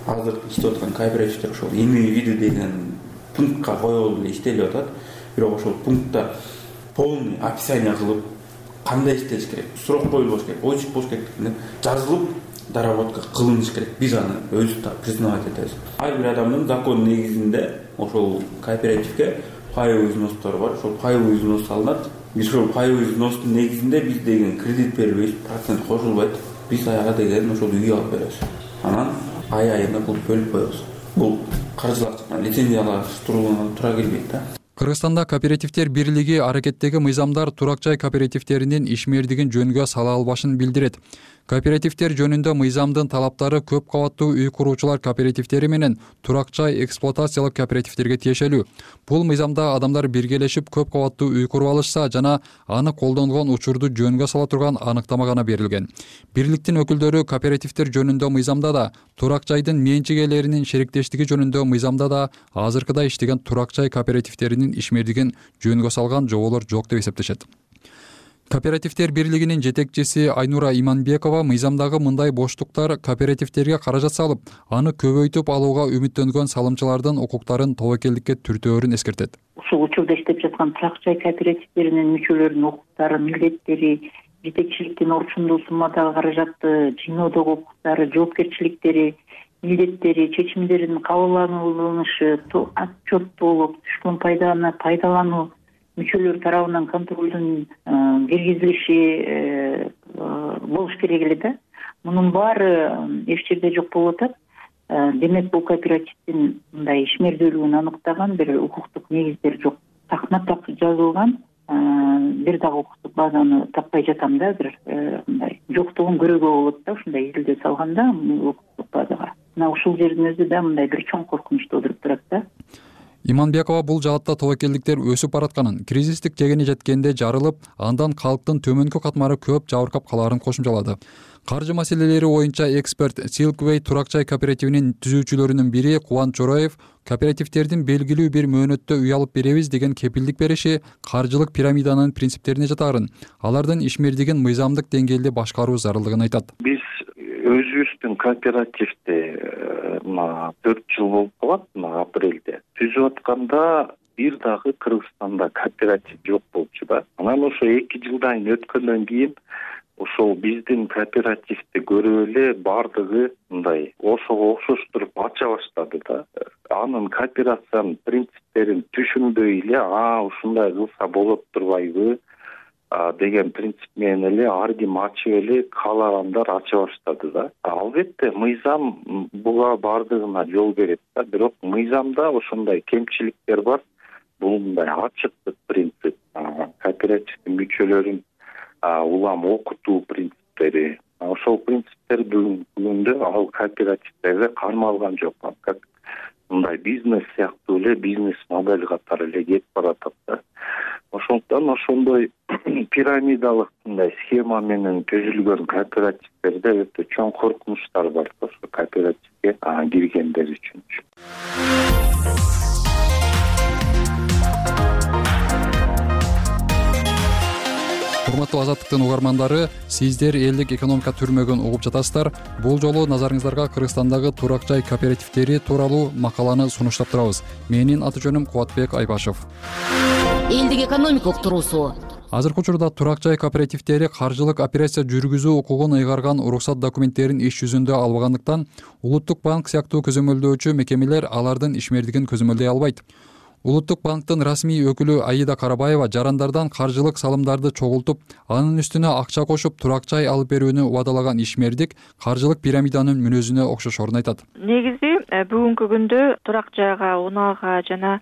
азыркы иштеп аткан кооперативдер ошол иные виды деген пунктка коюлуп эле иштелип атат. Бирок ошол пунктта полный описание кылып, кандай иштеш керек, сурок коюлуш керек, ойчук болуш керек деген жазылып доработка кылыныш керек. Биз аны өзүбүз да признавать этебиз. Ар бир адамдын закон негизинде ошол кооперативге паевый взностор бар. Ошол паевый взнос салынат. Биз ошол паевый взностун негизинде биз деген кредит бербейбиз, процент кошулбайт. Биз аяга деген ошол үй алып беребиз. Анан ай-айына бул бөлүп коебуз. Бул каржылаштырма лицензиялаштырууга туура келбейт да. Кыргызстанда кооперативдер бирлиги аракеттеги мыйзамдар турак жай кооперативдеринин ишмердигин жөнгө сала албашын билдирет. Кооперативдер жөнүндө мыйзамдын талаптары көп кабаттуу үй куруучулар кооперативдери менен турак жай эксплуатациялык кооперативдерге тиешелүү. Бул мыйзамда адамдар биргелешип көп кабаттуу үй куруп алышса жана аны колдонгон учурду жөнгө сала турган аныктама гана берилген. Бирликтин өкүлдөрү кооперативдер жөнүндө мыйзамда да, турак жайдын менчик ээлеринин шериктештиги жөнүндө мыйзамда да азыркыда иштеген турак жай кооперативдеринин ишмердигин жөнгө салган жоболор жок деп эсептешет. Кооперативдер бирлигинин жетекчиси Айнура Иманбекова мыйзамдагы мындай боштуктар кооперативдерге каражат салып, аны көбөйтүп алууга үмүттөнгөн салымчылардын укуктарын тобокелдикке түртөөрүн эскертет. Ушул учурда иштеп жаткан турак жай кооперативдеринин мүчөлөрүнүн укуктары, милдеттери, жетекчиликтин орчундуу суммадагы каражатты жыйноодогу укуктары, жоопкерчиликтери, милдеттери, чечимдердин кабыл алынышы, отчеттуулук, түшкөн пайданы пайдалануу, мүчөлөр тарабынан контролдун киргизилиши болуш керек эле да. Мунун баары эч жерде жок болуп атат. Демек бул кооперативдин мындай ишмердүүлүгүн аныктаган бир укуктук негиздер жок. Такма-так жазылган бир дагы укуктук базаны таппай жатам да, бир мындай жоктугун көрүүгө болот да, ушундай изилдөө салганда укуктук базага. Мына ушул жердин өзү да мындай бир чоң коркунуч туудуруп турат да. Иманбекова бул жаатта тобокелдиктер өсүп баратканын, кризистик жегени жеткенде жарылып, андан калктын төмөнкү катмары көп жабыркап калаарын кошумчалады. Каржы маселелери боюнча эксперт Silkway турак жай кооперативинин түзүүчүлөрүнүн бири Кубан Чороев кооперативдердин белгилүү бир мөөнөттө үй алып беребиз деген кепилдик бериши каржылык пирамиданын принциптерине жатаарын, алардын ишмердигин мыйзамдык деңгээлде башкаруу зарылдыгын айтат. Биз өзүбүздүн кооперативди 4 жыл болуп калат, апрелде түзүп атканда бир дагы Кыргызстанда кооператив жок болчу да. Анан ошо 2 жылдан өткөндөн кийин ошол биздин кооперативди көрүп эле бардыгы мындай ошого окшоштуруп ача баштады да. Анын кооперациянын принциптерин түшүнбөй эле, ушундай кылса болот турбайбы деген принцип менен эле ар ким ачып эле каалагандар ача баштады да. Албетте мыйзам буга бардыгына жол берет да, бирок мыйзамда ошондой кемчиликтер бар. Бул мындай ачыктык принцип, кооперативдин мүчөлөрүн улам окутуу принциптери. Ошол принциптер бүгүндө ал кооперативдерде кармалган жок. Как мындай бизнес сыяктуу эле бизнес модель катары эле кетип баратат да. Ошондон ошондой пирамидалык мындай схема менен түзүлгөн кооперативдерде өтө чоң коркунучтар бар ошо кооперативге киргендер үчүн. Урматтуу урматтуу Азаттыктын угармандары, сиздер элдик экономика түрмөгүн угуп жатасыздар. Бул жолу назарыңыздарга Кыргызстандагы турак жай кооперативдери тууралуу макаланы сунуштап турабыз. Менин аты жөнүм Кубатбек Айбашев. Элдик экономика уктуруусу. Азыркы учурда турак жай кооперативдери каржылык операция жүргүзүү укугун ыйгарган уруксат документтерин иш жүзүндө албагандыктан Улуттук банк сыяктуу көзөмөлдөөчү мекемелер алардын ишмердигин көзөмөлдөй албайт. Улуттук банктын расмий өкүлү Аида Карабаева жарандардан каржылык салымдарды чогултуп, анын үстүнө акча кошуп турак жай алып берүүнү убадалаган ишмердик каржылык пирамиданын мүнөзүнө окшошорун айтат. Негизи бүгүнкү күндө турак жайга, унаага жана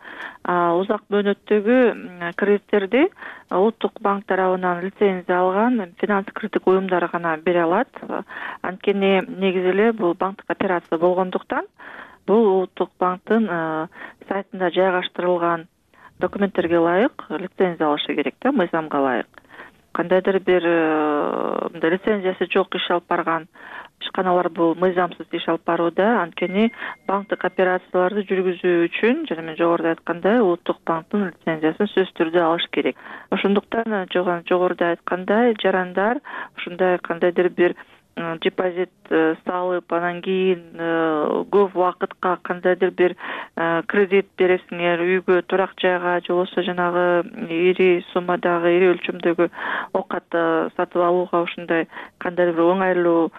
узак мөөнөттөгү кредиттерди Улуттук банк тарабынан лицензия алган финанс кредиттик уюмдар гана бере алат. Анткени негизи эле бул банктык операция болгондуктан бул Улуттук банктын сайтында жайгаштырылган документтерге ылайык лицензия алышы керек да, мыйзамга ылайык. Кандайдыр бир лицензиясы жок иш алып барган ишканалар бул мыйзамсыз иш алып барууда. Анткени банктык операцияларды жүргүзүү үчүн, жана мен жогоруда айткандай, Улуттук банктын лицензиясын сөзсүз түрдө алыш керек. Ошондуктан жогоруда айткандай, жарандар ушундай кандайдыр бир депозит салып, анан кийин көп убакытка кандайдыр бир кредит бересиңер, үйгө, турак жайга, же болбосо жанагы ири суммадагы, ири өлчөмдөгү оокат сатып алууга ушундай кандайдыр бир оңайлуу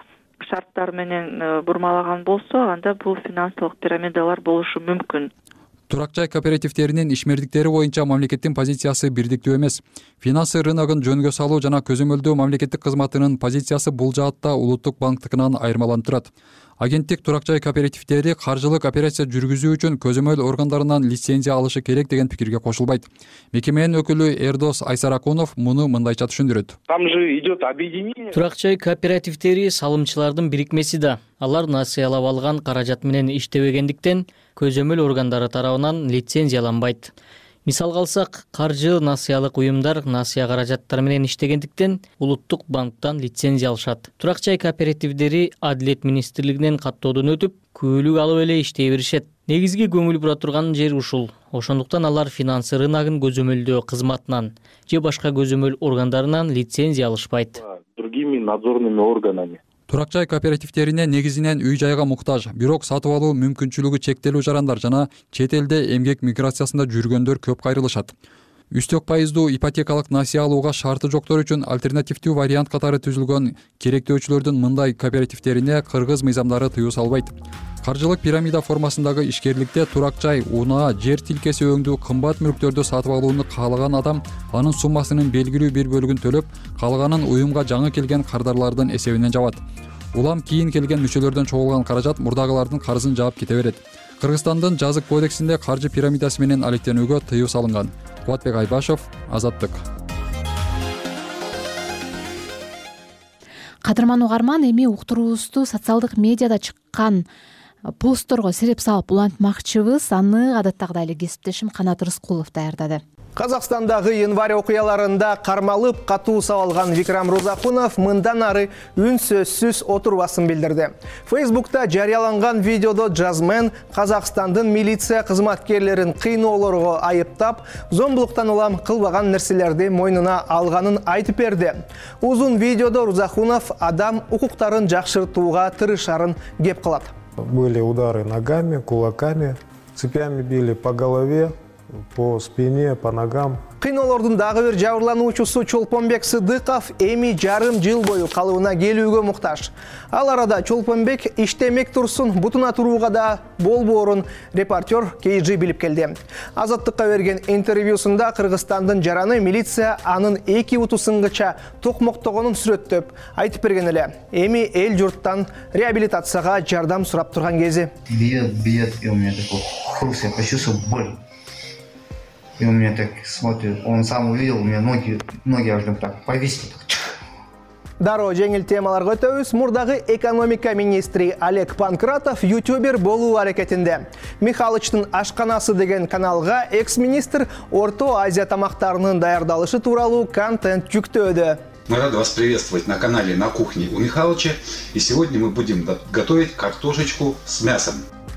шарттар менен бурмалаган болсо, анда бул финансылык пирамидалар болушу мүмкүн. Турак жай кооперативдеринин ишмердиктери боюнча мамлекеттин позициясы бирдиктүү эмес. Финансы рыногун жөнгө салуу жана көзөмөлдөө мамлекеттик кызматынын позициясы бул жаатта Улуттук банктыкынан айырмаланып турат. Агенттик турак жай кооперативдери каржылык операция жүргүзүү үчүн көзөмөл органдарынан лицензия алышы керек деген пикирге кошулбайт. Мекеменин өкүлү Эрдос Айсаракунов муну мындайча түшүндүрөт. Там же идет объединение. Турак жай кооперативдери салымчылардын бирикмеси да. Алар насыялап алган каражат менен иштебегендиктен көзөмөл органдары тарабынан лицензияланбайт. Мисалга алсак, каржы насыялык уюмдар насыя каражаттары менен иштегендиктен Улуттук банктан лицензия алышат. Турак жай кооперативдери Адилет министрлигинен каттоодон өтүп, күбөлүк алып эле иштей беришет. Негизги көңүл бура турган жери ушул. Ошондуктан алар финансы рыногун көзөмөлдөө кызматынан же башка көзөмөл органдарынан лицензия алышпайт. Другими надзорными органами. Турак жай кооперативдерине негизинен үй жайга муктаж, бирок сатып алуу мүмкүнчүлүгү чектелүү жарандар жана чет элде эмгек миграциясында жүргөндөр көп кайрылышат. Үстөк пайыздуу ипотекалык насыя алууга шарты жоктор үчүн альтернативдүү вариант катары түзүлгөн керектөөчүлөрдүн мындай кооперативдерине кыргыз мыйзамдары тыюу салбайт. Каржылык пирамида формасындагы ишкерликте турак жай, унаа, жер тилкеси өңдүү кымбат мүлктөрдү сатып алууну каалаган адам анын суммасынын белгилүү бир бөлүгүн төлөп, калганын уюмга жаңы келген кардарлардын эсебинен жабат. Улам кийин келген мүчөлөрдөн чогулган каражат мурдагылардын карызын жаап кете берет. Кыргызстандын жазык кодексинде каржы пирамидасы менен алектенүүгө тыюу салынган. Кубатбек Айбашев, Азаттык. Кадырман угарман, эми уктуруубузду социалдык медиада чыккан постторго сереп салып улантмакчыбыз. Аны адаттагыдай эле кесиптешим Канат Рыскулов даярдады. Казакстандагы январь окуяларында кармалып катуу сабалган Викрам Розакунов мындан ары үн сөзсүз отурбасын билдирди. Фейсбукта жарыяланган видеодо жазмен Казакстандын милиция кызматкерлерин кыйноолорго айыптап, зомбулуктан улам кылбаган нерселерди мойнуна алганын айтып берди. Узун видеодо Розакунов адам укуктарын жакшыртууга тырышарын кеп кылат. Были удары ногами, кулаками, цепями били по голове, по спине, по ногам. Кыйноолордун дагы бир жабырлануучусу Чолпонбек Сыдыков эми жарым жыл бою калыбына келүүгө муктаж. Ал арада Чолпонбек иштемек турсун, бутуна турууга да болбоорун репортер KG билип келди. Азаттыкка берген интервьюсунда Кыргызстандын жараны милиция анын эки утусунгача токмоктогонун сүрөттөп айтып берген эле. Эми эл журттан реабилитацияга жардам сурап турган кези. Бьет, и у меня такой хруст, я почувствовал боль. И он меня так смотрит, он сам увидел, у меня ноги аж так повисли. Дароо жеңил темаларга өтөбүз. Мурдагы экономика министри Олег Панкратов ютубер болуу аракетинде. Михалычтын ашканасы деген каналга экс-министр Орто Азия тамактарынын даярдалышы тууралуу контент жүктөөдө. Мы рады вас приветствовать на канале «На кухне» у Михалыча. И сегодня мы будем готовить картошечку с мясом.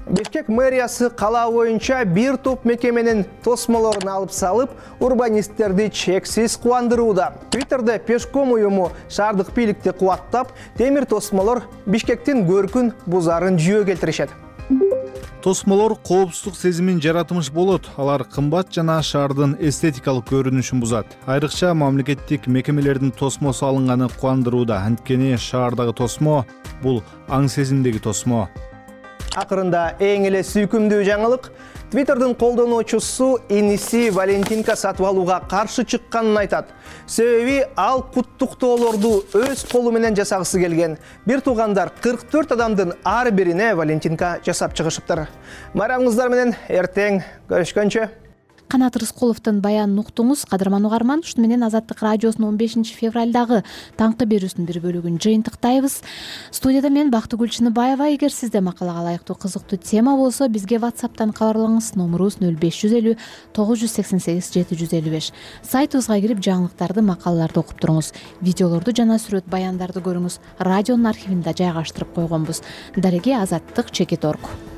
Бишкек мэриясы кала боюнча бир топ мекеменин тосмолорун алып салып, урбанисттерди чексиз кубандырууда. Твиттерде Пешком уюму шаардык бийликти кубаттап, темир тосмолор Бишкектин көркүн бузарын жүйө келтиришет. Тосмолор коопсуздук сезимин жаратмыш болот. Алар кымбат жана шаардын эстетикалык көрүнүшүн бузат. Айрыкча мамлекеттик мекемелердин тосмосу алынганы кубандырууда. Анткени шаардагы тосмо бул аң сезимдеги тосмо. Акырында эң эле сүйкүмдүү жаңылык Твиттердин колдонуучусу иниси Валентинка сатып алууга каршы чыкканын айтат. Себеби ал куттуктоолорду өз колу менен жасагысы келген. Бир туугандар 44 адамдын ар бирине Валентинка жасап чыгышыптыр. Майрамыңыздар менен эртең көрүшкөнчө. Канат Рыскуловдун баянын уктуңуз. Кадырман угарман, ушуну менен Азаттык радиосунун 15 февралдагы таңкы берүүсүнүн бир бөлүгүн жыйынтыктайбыз. Студияда мен Бактыгүл Чыныбаева. Эгер сизде макалага ылайыктуу кызыктуу тема болсо, бизге WhatsApp'тан кабарлаңыз. Номерубуз 0550 988 755. Сайтыбызга кирип жаңылыктарды, макалаларды окуп туруңуз. Видеолорду жана сүрөт баяндарды көрүңүз. Радионун архивинде жайгаштырып койгонбуз. Дареги Азаттык _org.